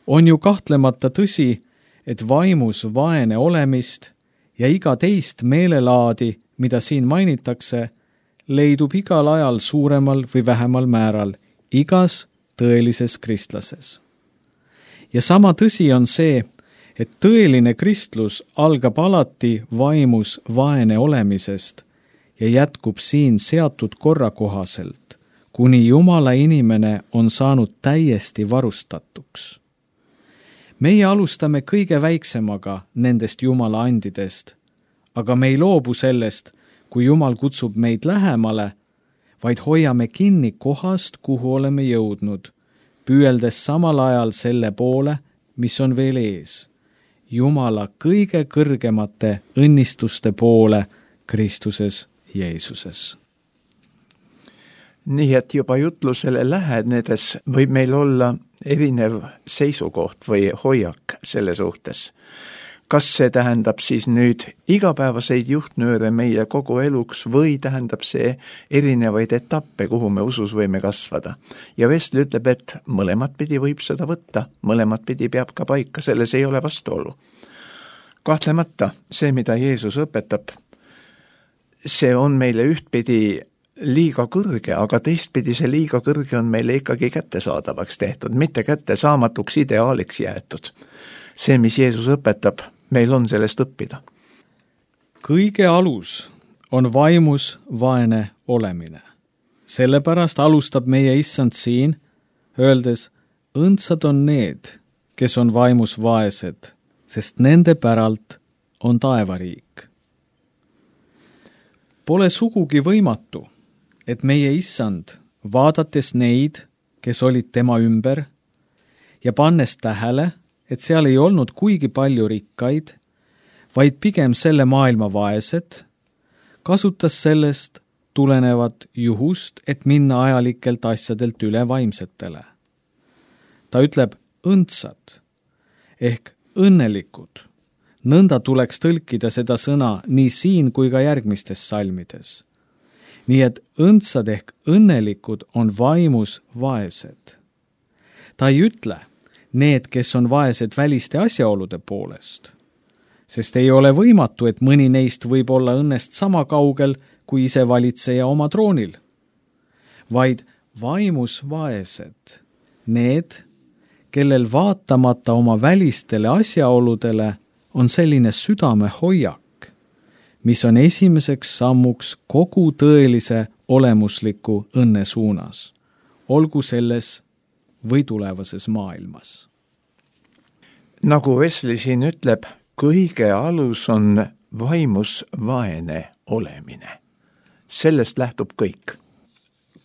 On ju kahtlemata tõsi, et vaimus vaene olemist ja iga teist meelelaadi, mida siin mainitakse, leidub igal ajal suuremal või vähemal määral igas tõelises kristlases. Ja sama tõsi on see, et tõeline kristlus algab alati vaimus vaene olemisest ja jätkub siin seatud korra kohaselt, kuni Jumala inimene on saanud täiesti varustatuks. Meie alustame kõige väiksemaga nendest Jumala andidest, aga me ei loobu sellest, kui Jumal kutsub meid lähemale, vaid hoiame kinni kohast, kuhu oleme jõudnud, püüeldes samal ajal selle poole, mis on veel ees, Jumala kõige kõrgemate õnnistuste poole Kristuses Jeesuses. Nii et juba jutlusele lähenedes võib meil olla erinev seisukoht või hoiak selle suhtes. Kas see tähendab siis nüüd igapäevaseid juhtnööre meie kogu eluks või tähendab see erinevaid etappe, kuhu me usus võime kasvada? Ja Wesley ütleb, et mõlemat pidi võib seda võtta, mõlemat pidi peab ka paika, selles ei ole vastuolu. Kahtlemata see, mida Jeesus õpetab, see on meile ühtpidi liiga kõrge, aga teistpidi see liiga kõrge on meile ikkagi kättesaadavaks tehtud, mitte kättesaamatuks ideaaliks jäetud. See, mis Jeesus õpetab, meil on sellest õppida. Kõige alus on vaimus vaene olemine. Sellepärast alustab meie issand siin, öeldes, õndsad on need, kes on vaimus vaesed, sest nende päralt on taevariik. Pole sugugi võimatu, et meie issand, vaadates neid, kes olid tema ümber, ja pannes tähele, et seal ei olnud kuigi palju rikkaid, vaid pigem selle maailma vaesed, kasutas sellest tulenevat juhust, et minna ajalikelt asjadelt üle vaimsetele. Ta ütleb õndsad ehk õnnelikud. Nõnda tuleks tõlkida seda sõna nii siin kui ka järgmistes salmides. Nii et õndsad ehk õnnelikud on vaimus vaesed. Ta ei ütle, need, kes on vaesed väliste asjaolude poolest, sest ei ole võimatu, et mõni neist võib olla õnnest sama kaugel kui ise valitseja oma troonil, vaid vaimus vaesed, need, kellel vaatamata oma välistele asjaoludele on selline südame hoiak, mis on esimeseks sammuks kogu tõelise olemusliku õnne suunas, olgu selles või tulevases maailmas. Nagu Wesley siin ütleb, kõige alus on vaimus vaene olemine. Sellest lähtub kõik.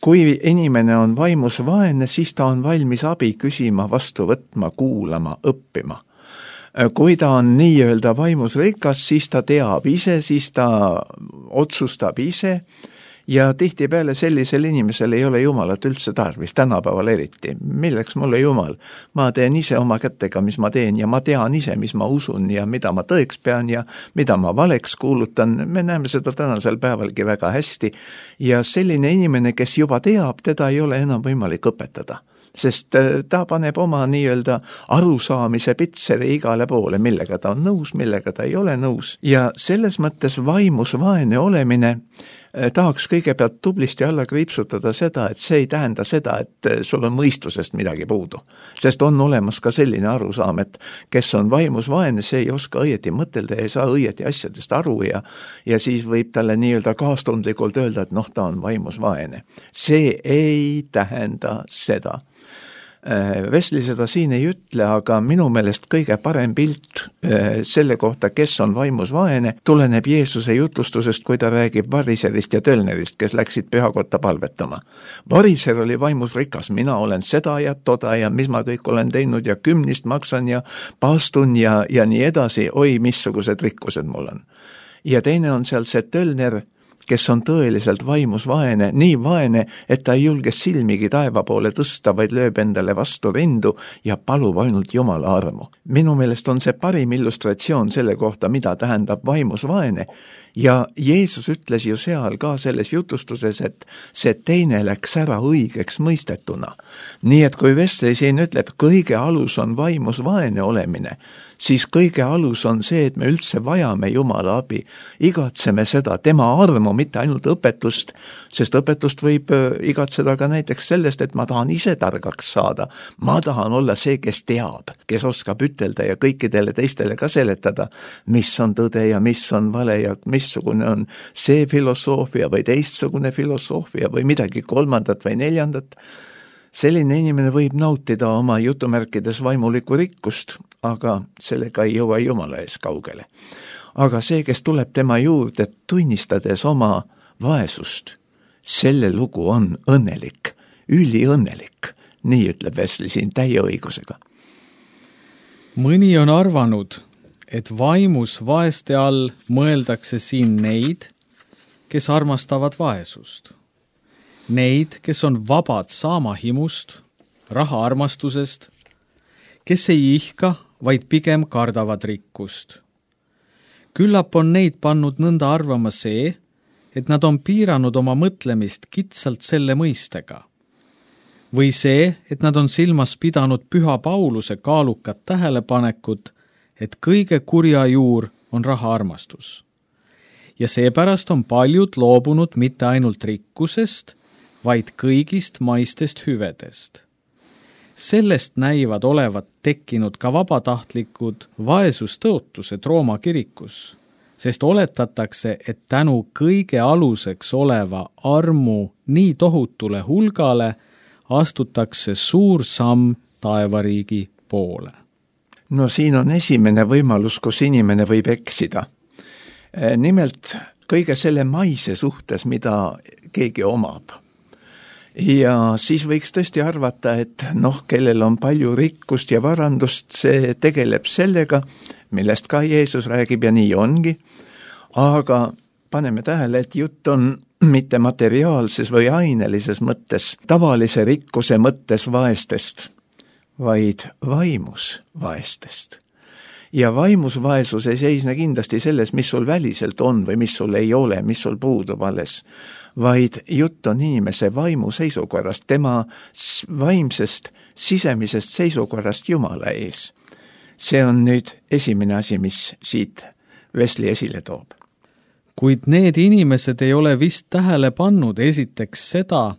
Kui inimene on vaimus vaene, siis ta on valmis abi küsima, vastu võtma, kuulama, õppima. Kui ta on nii-öelda vaimus rikas, siis ta teab ise, siis ta otsustab ise ja tihtipeale sellisel inimesel ei ole Jumalat üldse tarvis, tänapäeval eriti. Milleks mulle Jumal? Ma teen ise oma kätega, mis ma teen ja ma tean ise, mis ma usun ja mida ma tõeks pean ja mida ma valeks kuulutan. Me näeme seda tänasel päevalgi väga hästi ja selline inimene, kes juba teab, teda ei ole enam võimalik õpetada. sest ta paneb oma nii-öelda arusaamise pitseri igale poole, millega ta on nõus, millega ta ei ole nõus. Ja selles mõttes vaimus vaene olemine tahaks kõigepealt tublisti alla kriipsutada seda, et see ei tähenda seda, et sul on mõistusest midagi puudu. Sest on olemas ka selline arusaam, et kes on vaimus vaene, see ei oska õieti mõtelda ja ei saa õieti asjadest aru ja, ja siis võib talle nii-öelda kaastundlikult öelda, et noh, ta on vaimus vaene. See ei tähenda seda. Wesley seda siin ei ütle, aga minu meelest kõige parem pilt selle kohta, kes on vaimus vaene, tuleneb Jeesuse jutlustusest, kui ta räägib variserist ja tölnerist, kes läksid pühakotta palvetama. Variser oli vaimus rikas, mina olen seda ja toda ja mis ma kõik olen teinud ja kümnist maksan ja paastun ja, ja nii edasi, oi, missugused rikkused mul on. Ja teine on seal see tölner, kes on tõeliselt vaimus vaene, nii vaene, et ta ei julge silmigi taeva poole tõsta, vaid lööb endale vastu rindu ja palub ainult Jumala armu. Minu meelest on see parim illustratsioon selle kohta, mida tähendab vaimus vaene, ja Jeesus ütles ju seal ka selles jutustuses, et see teine läks ära õigeks mõistetuna. Nii et kui Wesley siin ütleb, kõige alus on vaimus vaene olemine, siis kõige alus on see, et me üldse vajame Jumala abi, igatseme seda, tema armu, mitte ainult õpetust, sest õpetust võib igatseda ka näiteks sellest, et ma tahan ise targaks saada, ma tahan olla see, kes teab, kes oskab ütelda ja kõikidele teistele ka seletada, mis on tõde ja mis on vale ja missugune on see filosoofia või teistsugune filosoofia või midagi kolmandat või neljandat. Selline inimene võib nautida oma jutumärkides vaimulikku rikkust, aga sellega ei jõua Jumala ees kaugele. Aga see, kes tuleb tema juurde tunnistades oma vaesust, selle lugu on õnnelik, üliõnnelik, nii ütleb Wesley siin täie õigusega. Mõni on arvanud, et vaimus vaeste all mõeldakse siin neid, kes armastavad vaesust. Neid, kes on vabad saama himust, raha armastusest, kes ei ihka, vaid pigem kardavad rikkust. Küllap on neid pannud nõnda arvama see, et nad on piiranud oma mõtlemist kitsalt selle mõistega. Või see, et nad on silmas pidanud Püha Pauluse kaalukat tähelepanekut, et kõige kurja juur on raha armastus. Ja seepärast on paljud loobunud mitte ainult rikkusest, vaid kõigist maistest hüvedest. Sellest näivad olevat tekkinud ka vabatahtlikud vaesustõotused Rooma kirikus, sest oletatakse, et tänu kõige aluseks oleva armu nii tohutule hulgale astutakse suur samm taevariigi poole. No siin on esimene võimalus, kus inimene võib eksida. Nimelt kõige selle maise suhtes, mida keegi omab. Ja siis võiks tõesti arvata, et noh, kellel on palju rikkust ja varandust, see tegeleb sellega, millest ka Jeesus räägib ja nii ongi, aga paneme tähele, et jutt on mitte materiaalses või ainelises mõttes, tavalise rikkuse mõttes vaestest, vaid vaimus vaestest. Ja vaimus vaesus ei seisne kindlasti selles, mis sul väliselt on või mis sul ei ole, mis sul puudub alles, vaid jutt on inimese vaimu seisukorrast, tema vaimsest sisemisest seisukorrast Jumala ees. See on nüüd esimene asi, mis siit Wesley esile toob. Kuid need inimesed ei ole vist tähele pannud esiteks seda,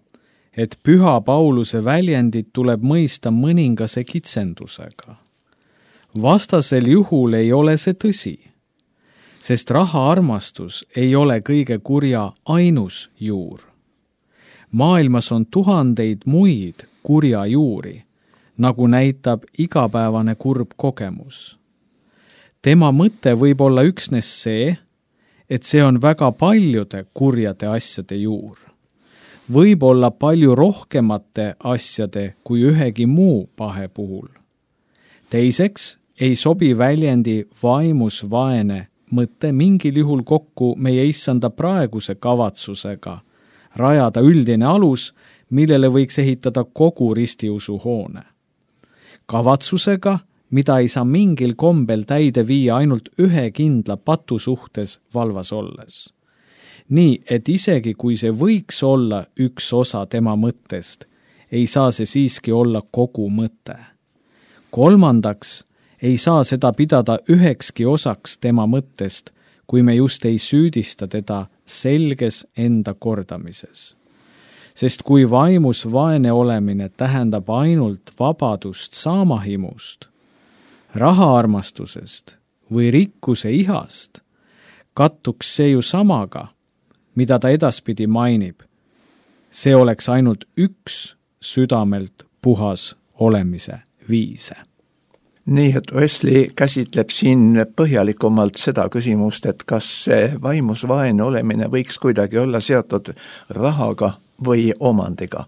et Püha Pauluse väljendit tuleb mõista mõningase kitsendusega. Vastasel juhul ei ole see tõsi, sest raha armastus ei ole kõige kurja ainus juur. Maailmas on tuhandeid muid kurja juuri, nagu näitab igapäevane kurb kogemus. Tema mõte võib olla üksnes see, et see on väga paljude kurjade asjade juur. Võib olla palju rohkemate asjade kui ühegi muu pahe puhul. Teiseks ei sobi väljendi vaimus vaene mõte mingil juhul kokku meie issanda praeguse kavatsusega rajada üldine alus, millele võiks ehitada kogu ristiusu hoone. Kavatsusega, mida ei saa mingil kombel täide viia ainult ühe kindla patu suhtes valvas olles. Nii, et isegi kui see võiks olla üks osa tema mõttest, ei saa see siiski olla kogu mõte. Kolmandaks, ei saa seda pidada ühekski osaks tema mõttest, kui me just ei süüdista teda selges enda kordamises. Sest kui vaimus vaene olemine tähendab ainult vabadust saamahimust, rahaarmastusest või rikkuse ihast, kattuks see ju samaga, mida ta edaspidi mainib. See oleks ainult üks südamelt puhas olemise viise. Nii, et Wesley käsitleb siin põhjalikumalt seda küsimust, et kas see vaimus vaene olemine võiks kuidagi olla seotud rahaga või omandiga.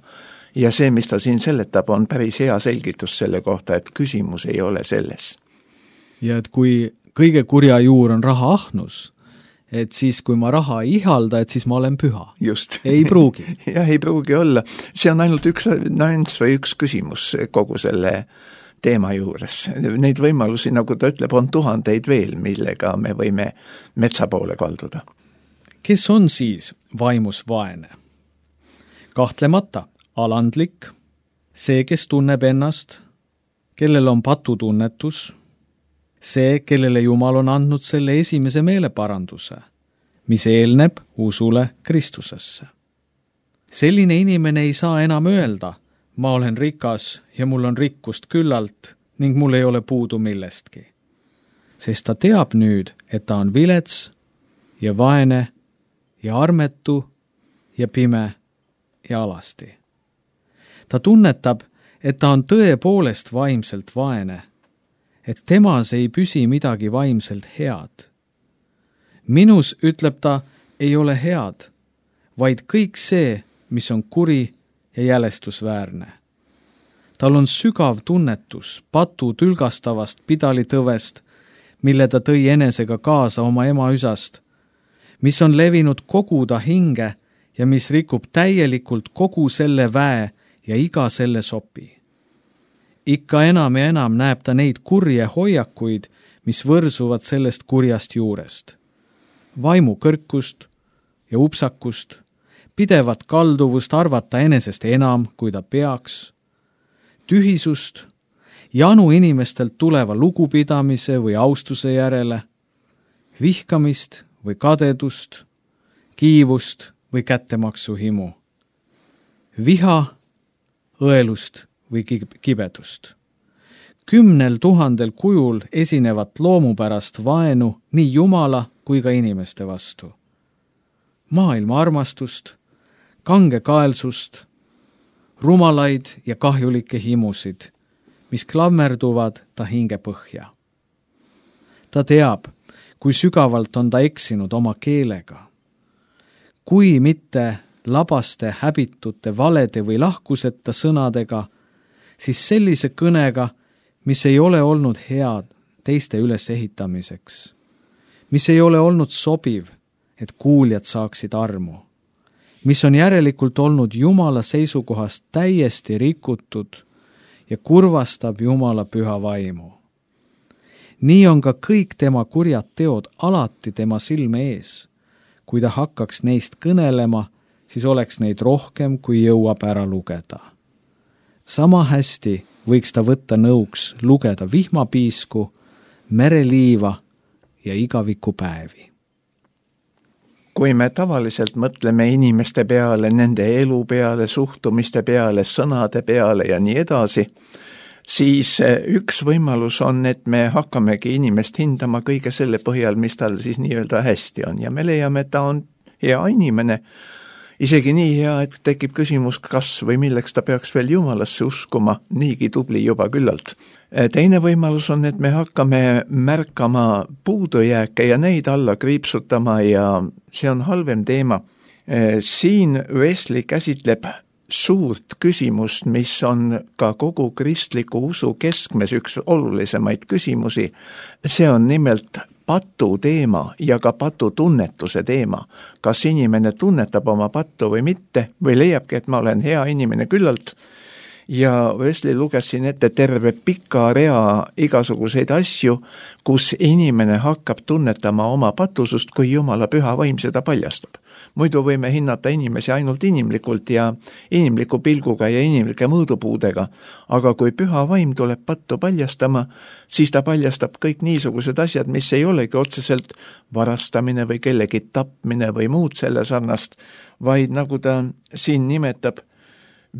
Ja see, mis ta siin seletab, on päris hea selgitus selle kohta, et küsimus ei ole selles. Ja et kui kõige kurja juur on raha ahnus, et siis kui ma raha ei ihalda, et siis ma olen püha. Just. Ei pruugi. Jah, ei pruugi olla. See on ainult üks nüanss või üks küsimus kogu selle teema juures. Neid võimalusi, nagu ta ütleb, on tuhandeid veel, millega me võime metsa poole kalduda. Kes on siis vaimus vaene? Kahtlemata alandlik, see, kes tunneb ennast, kellel on patutunnetus, see, kellele Jumal on andnud selle esimese meeleparanduse, mis eelneb usule Kristusesse. Selline inimene ei saa enam öelda, ma olen rikas ja mul on rikkust küllalt ning mul ei ole puudu millestki. Sest ta teab nüüd, et ta on vilets ja vaene ja armetu ja pime ja alasti. Ta tunnetab, et ta on tõepoolest vaimselt vaene, et temas ei püsi midagi vaimselt head. Minus, ütleb ta, ei ole head, vaid kõik see, mis on kuri ja jälestusväärne. Tal on sügav tunnetus patu tülgastavast pidalitõvest, mille ta tõi enesega kaasa oma ema üsast, mis on levinud kogu ta hinge ja mis rikub täielikult kogu selle väe ja iga selle sopi. Ikka enam ja enam näeb ta neid kurje hoiakuid, mis võrsuvad sellest kurjast juurest. Vaimu kõrkust ja upsakust, pidevat kalduvust arvata enesest enam, kui ta peaks, tühisust, janu inimestelt tuleva lugupidamise või austuse järele, vihkamist või kadedust, kiivust või kättemaksuhimu, viha, õelust või kibedust. Kümnel tuhandel kujul esinevat loomupärast vaenu nii Jumala kui ka inimeste vastu. Maailma armastust, kangekaelsust, rumalaid ja kahjulikke himusid, mis klammerduvad ta hinge põhja. Ta teab, kui sügavalt on ta eksinud oma keelega. Kui mitte labaste, häbitute, valede või lahkuseta sõnadega, siis sellise kõnega, mis ei ole olnud head teiste ülesehitamiseks, mis ei ole olnud sobiv, et kuuljad saaksid armu, mis on järelikult olnud Jumala seisukohast täiesti rikutud ja kurvastab Jumala püha vaimu. Nii on ka kõik tema kurjad teod alati tema silme ees. Kui ta hakkaks neist kõnelema, siis oleks neid rohkem, kui jõuab ära lugeda. Sama hästi võiks ta võtta nõuks lugeda vihmapiisku, mereliiva ja igavikupäevi. Kui me tavaliselt mõtleme inimeste peale, nende elu peale, suhtumiste peale, sõnade peale ja nii edasi, siis üks võimalus on, et me hakkamegi inimest hindama kõige selle põhjal, mis tal siis nii-öelda hästi on. Ja me leiame, et ta on hea inimene, isegi nii hea, et tekib küsimus, kas või milleks ta peaks veel Jumalasse uskuma, niigi tubli juba küllalt. Teine võimalus on, et me hakkame märkama puudujääke ja neid alla kriipsutama ja see on halvem teema. Siin Wesley käsitleb suurt küsimust, mis on ka kogu kristliku usu keskmes üks olulisemaid küsimusi. See on nimelt patu teema ja ka patu tunnetuse teema. Kas inimene tunnetab oma pattu või mitte või leiabki, et ma olen hea inimene küllalt ja Wesley luges siin ette terve pika rea igasuguseid asju, kus inimene hakkab tunnetama oma patusust, kui Jumala püha vaim seda paljastab. Muidu võime hinnata inimesi ainult inimlikult ja inimliku pilguga ja inimlike mõõdupuudega, aga kui püha vaim tuleb pattu paljastama, siis ta paljastab kõik niisugused asjad, mis ei olegi otseselt varastamine või kellegi tapmine või muud selle sarnast, vaid nagu ta siin nimetab,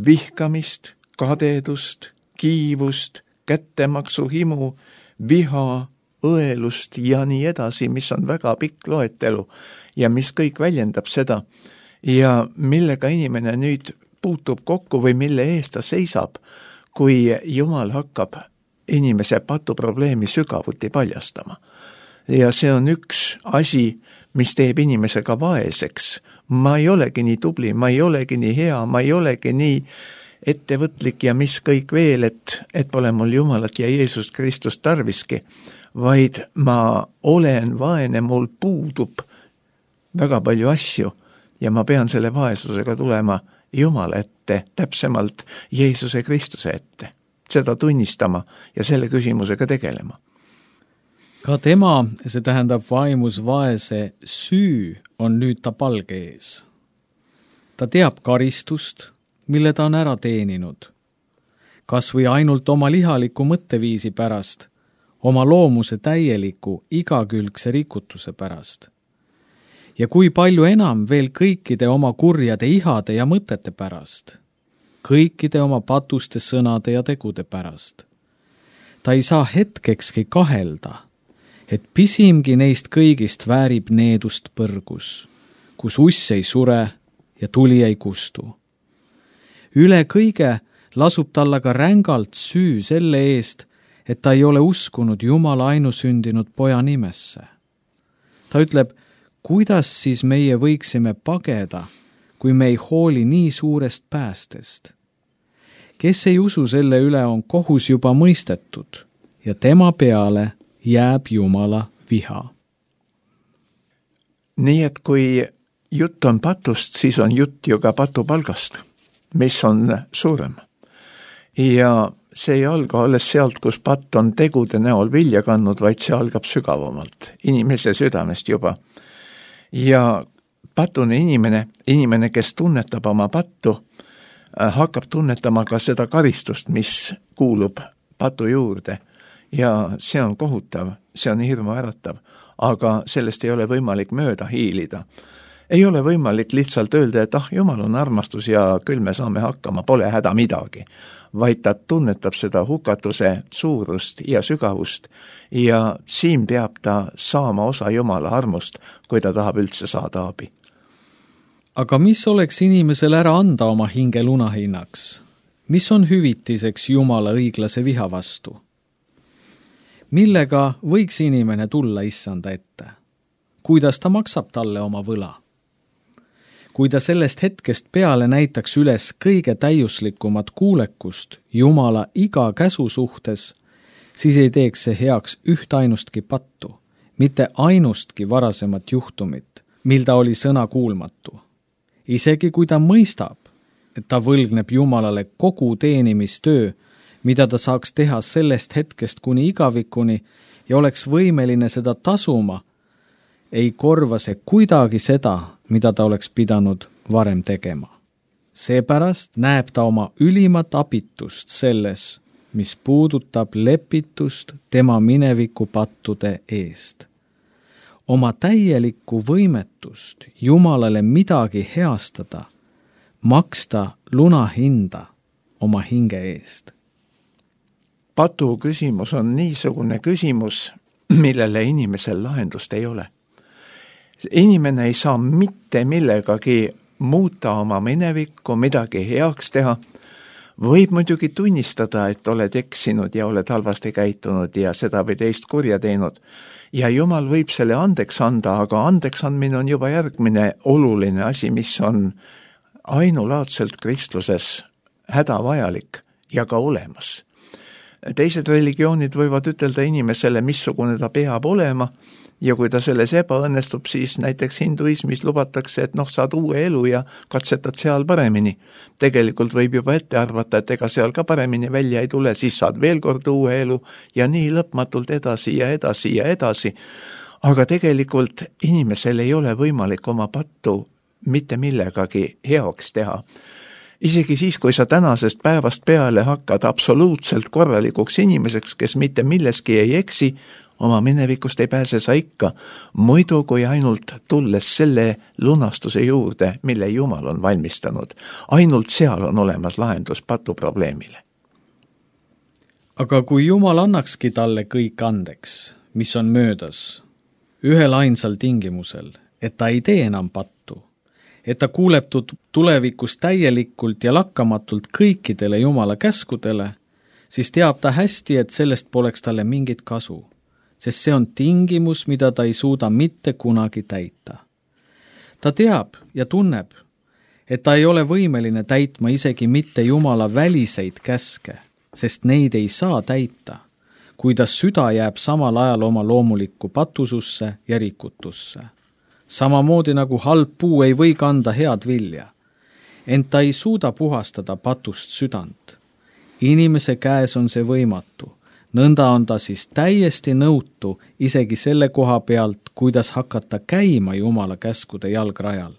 vihkamist, kadedust, kiivust, kättemaksuhimu, viha, õelust ja nii edasi, mis on väga pikk loetelu ja mis kõik väljendab seda ja millega inimene nüüd puutub kokku või mille eest ta seisab, kui Jumal hakkab inimese patuprobleemi sügavuti paljastama. Ja see on üks asi, mis teeb inimesega vaeseks. Ma ei olegi nii tubli, ma ei olegi nii hea, ma ei olegi nii ettevõtlik ja mis kõik veel, et, et pole mul Jumalat ja Jeesust Kristust tarviski, vaid ma olen vaene, mul puudub väga palju asju ja ma pean selle vaesusega tulema Jumala ette, täpsemalt Jeesuse Kristuse ette, seda tunnistama ja selle küsimusega tegelema. Ka tema, see tähendab vaimus vaese süü, on nüüd ta palge ees. Ta teab karistust, mille ta on ära teeninud. Kas või ainult oma lihaliku mõtteviisi pärast, oma loomuse täieliku igakülgse rikutuse pärast. Ja kui palju enam veel kõikide oma kurjade ihade ja mõtete pärast, kõikide oma patuste sõnade ja tegude pärast. Ta ei saa hetkekski kahelda, et pisimgi neist kõigist väärib needust põrgus, kus uss ei sure ja tuli ei kustu. Üle kõige lasub talle ka rängalt süü selle eest, et ta ei ole uskunud Jumala ainusündinud poja nimesse. Ta ütleb, kuidas siis meie võiksime pageda, kui me ei hooli nii suurest päästest? Kes ei usu selle üle, on kohus juba mõistetud ja tema peale jääb Jumala viha. Nii et kui jutt on patust, siis on jutt ju ka patupalgast, mis on suurem. Ja see ei alga alles sealt, kus patt on tegude näol vilja kandnud, vaid see algab sügavamalt, inimese südamest juba. Ja patune inimene, inimene, kes tunnetab oma pattu, hakkab tunnetama ka seda karistust, mis kuulub patu juurde. Ja see on kohutav, see on hirmuäratav, aga sellest ei ole võimalik mööda hiilida. Ei ole võimalik lihtsalt öelda, et ah, Jumal on armastus ja küll me saame hakkama, pole häda midagi, vaid ta tunnetab seda hukatuse suurust ja sügavust ja siin peab ta saama osa Jumala armust, kui ta tahab üldse saada abi. Aga mis oleks inimesel ära anda oma hinge lunahinnaks? Mis on hüvitiseks Jumala õiglase viha vastu? Millega võiks inimene tulla issanda ette? Kuidas ta maksab talle oma võla? Kui ta sellest hetkest peale näitaks üles kõige täiuslikumat kuulekust Jumala iga käsu suhtes, siis ei teeks see heaks üht ainustki pattu, mitte ainustki varasemat juhtumit, mil ta oli sõna kuulmatu. Isegi kui ta mõistab, et ta võlgneb Jumalale kogu teenimistöö, mida ta saaks teha sellest hetkest kuni igavikuni ja oleks võimeline seda tasuma, ei korva see kuidagi seda, mida ta oleks pidanud varem tegema. Seepärast näeb ta oma ülimat abitust selles, mis puudutab lepitust tema mineviku pattude eest. Oma täielikku võimetust Jumalale midagi heastada, maksta lunahinda oma hinge eest. Patu küsimus on niisugune küsimus, millele inimesel lahendust ei ole. Inimene ei saa mitte millegagi muuta oma minevikku, midagi heaks teha. Võib muidugi tunnistada, et oled eksinud ja oled halvasti käitunud ja seda või teist kurja teinud. Ja Jumal võib selle andeks anda, aga andeks andmine on juba järgmine oluline asi, mis on ainulaadselt kristluses hädavajalik ja ka olemas. Teised religioonid võivad ütelda inimesele, missugune ta peab olema ja kui ta selles ebaõnnestub, siis näiteks hinduismis lubatakse, et noh, saad uue elu ja katsetad seal paremini. Tegelikult võib juba ette arvata, et ega seal ka paremini välja ei tule, siis saad veel kord uue elu ja nii lõpmatult edasi ja edasi ja edasi. Aga tegelikult inimesel ei ole võimalik oma pattu mitte millegagi heaks teha. Isegi siis, kui sa tänasest päevast peale hakkad absoluutselt korralikuks inimeseks, kes mitte milleski ei eksi, oma minevikust ei pääse sa ikka, muidu kui ainult tulles selle lunastuse juurde, mille Jumal on valmistanud. Ainult seal on olemas lahendus patu probleemile. Aga kui Jumal annakski talle kõik andeks, mis on möödas, ühel ainsal tingimusel, et ta ei tee enam pattu, et ta kuuleb tulevikus täielikult ja lakkamatult kõikidele Jumala käskudele, siis teab ta hästi, et sellest poleks talle mingit kasu, sest see on tingimus, mida ta ei suuda mitte kunagi täita. Ta teab ja tunneb, et ta ei ole võimeline täitma isegi mitte Jumala väliseid käske, sest neid ei saa täita, kuidas süda jääb samal ajal oma loomulikku patususse ja rikutusse. Samamoodi nagu halb puu ei või kanda head vilja, ent ta ei suuda puhastada patust südant. Inimese käes on see võimatu, nõnda on ta siis täiesti nõutu isegi selle koha pealt, kuidas hakata käima Jumala käskude jalgrajal.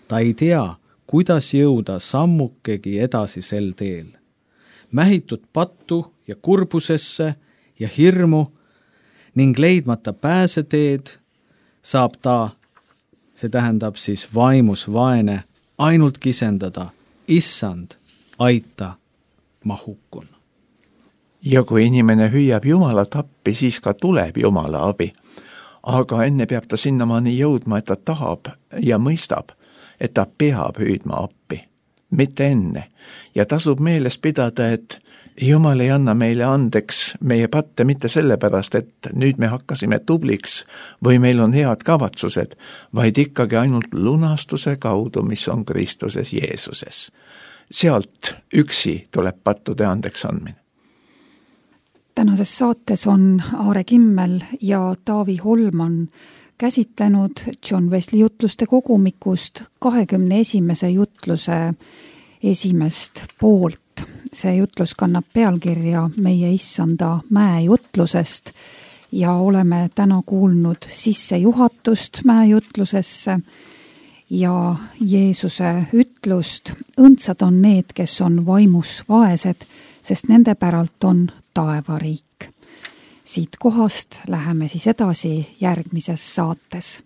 Ta ei tea, kuidas jõuda sammukegi edasi sel teel. Mähitud pattu ja kurbusesse ja hirmu ning leidmata pääseteed saab ta, see tähendab siis vaimus vaene, ainult kisendada, issand, aita, ma hukkun. Ja kui inimene hüüab Jumala tappi, siis ka tuleb Jumala abi. Aga enne peab ta sinnamaani jõudma, et ta tahab ja mõistab, et ta peab hüüdma appi, mitte enne. Ja tasub meeles pidada, et Jumal ei anna meile andeks meie patte mitte sellepärast, et nüüd me hakkasime tubliks või meil on head kavatsused, vaid ikkagi ainult lunastuse kaudu, mis on Kristuses Jeesuses. Sealt üksi tuleb pattude andeks andmine. Tänases saates on Aare Kimmel ja Taavi Holman käsitlenud John Wesley jutluste kogumikust kahekümne esimese jutluse esimest poolt. See jutlus kannab pealkirja Meie issanda mäejutlusest ja oleme täna kuulnud sissejuhatust mäejutlusesse ja Jeesuse ütlust. Õndsad on need, kes on vaimus vaesed, sest nende päralt on taevariik. Siit kohast läheme siis edasi järgmises saates.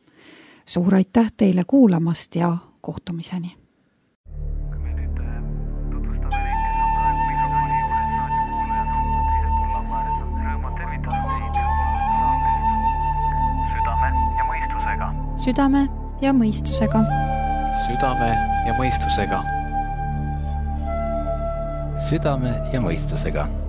Suur aitäh teile kuulamast ja kohtumiseni! Südame ja mõistusega. Südame ja mõistusega. Südame ja mõistusega.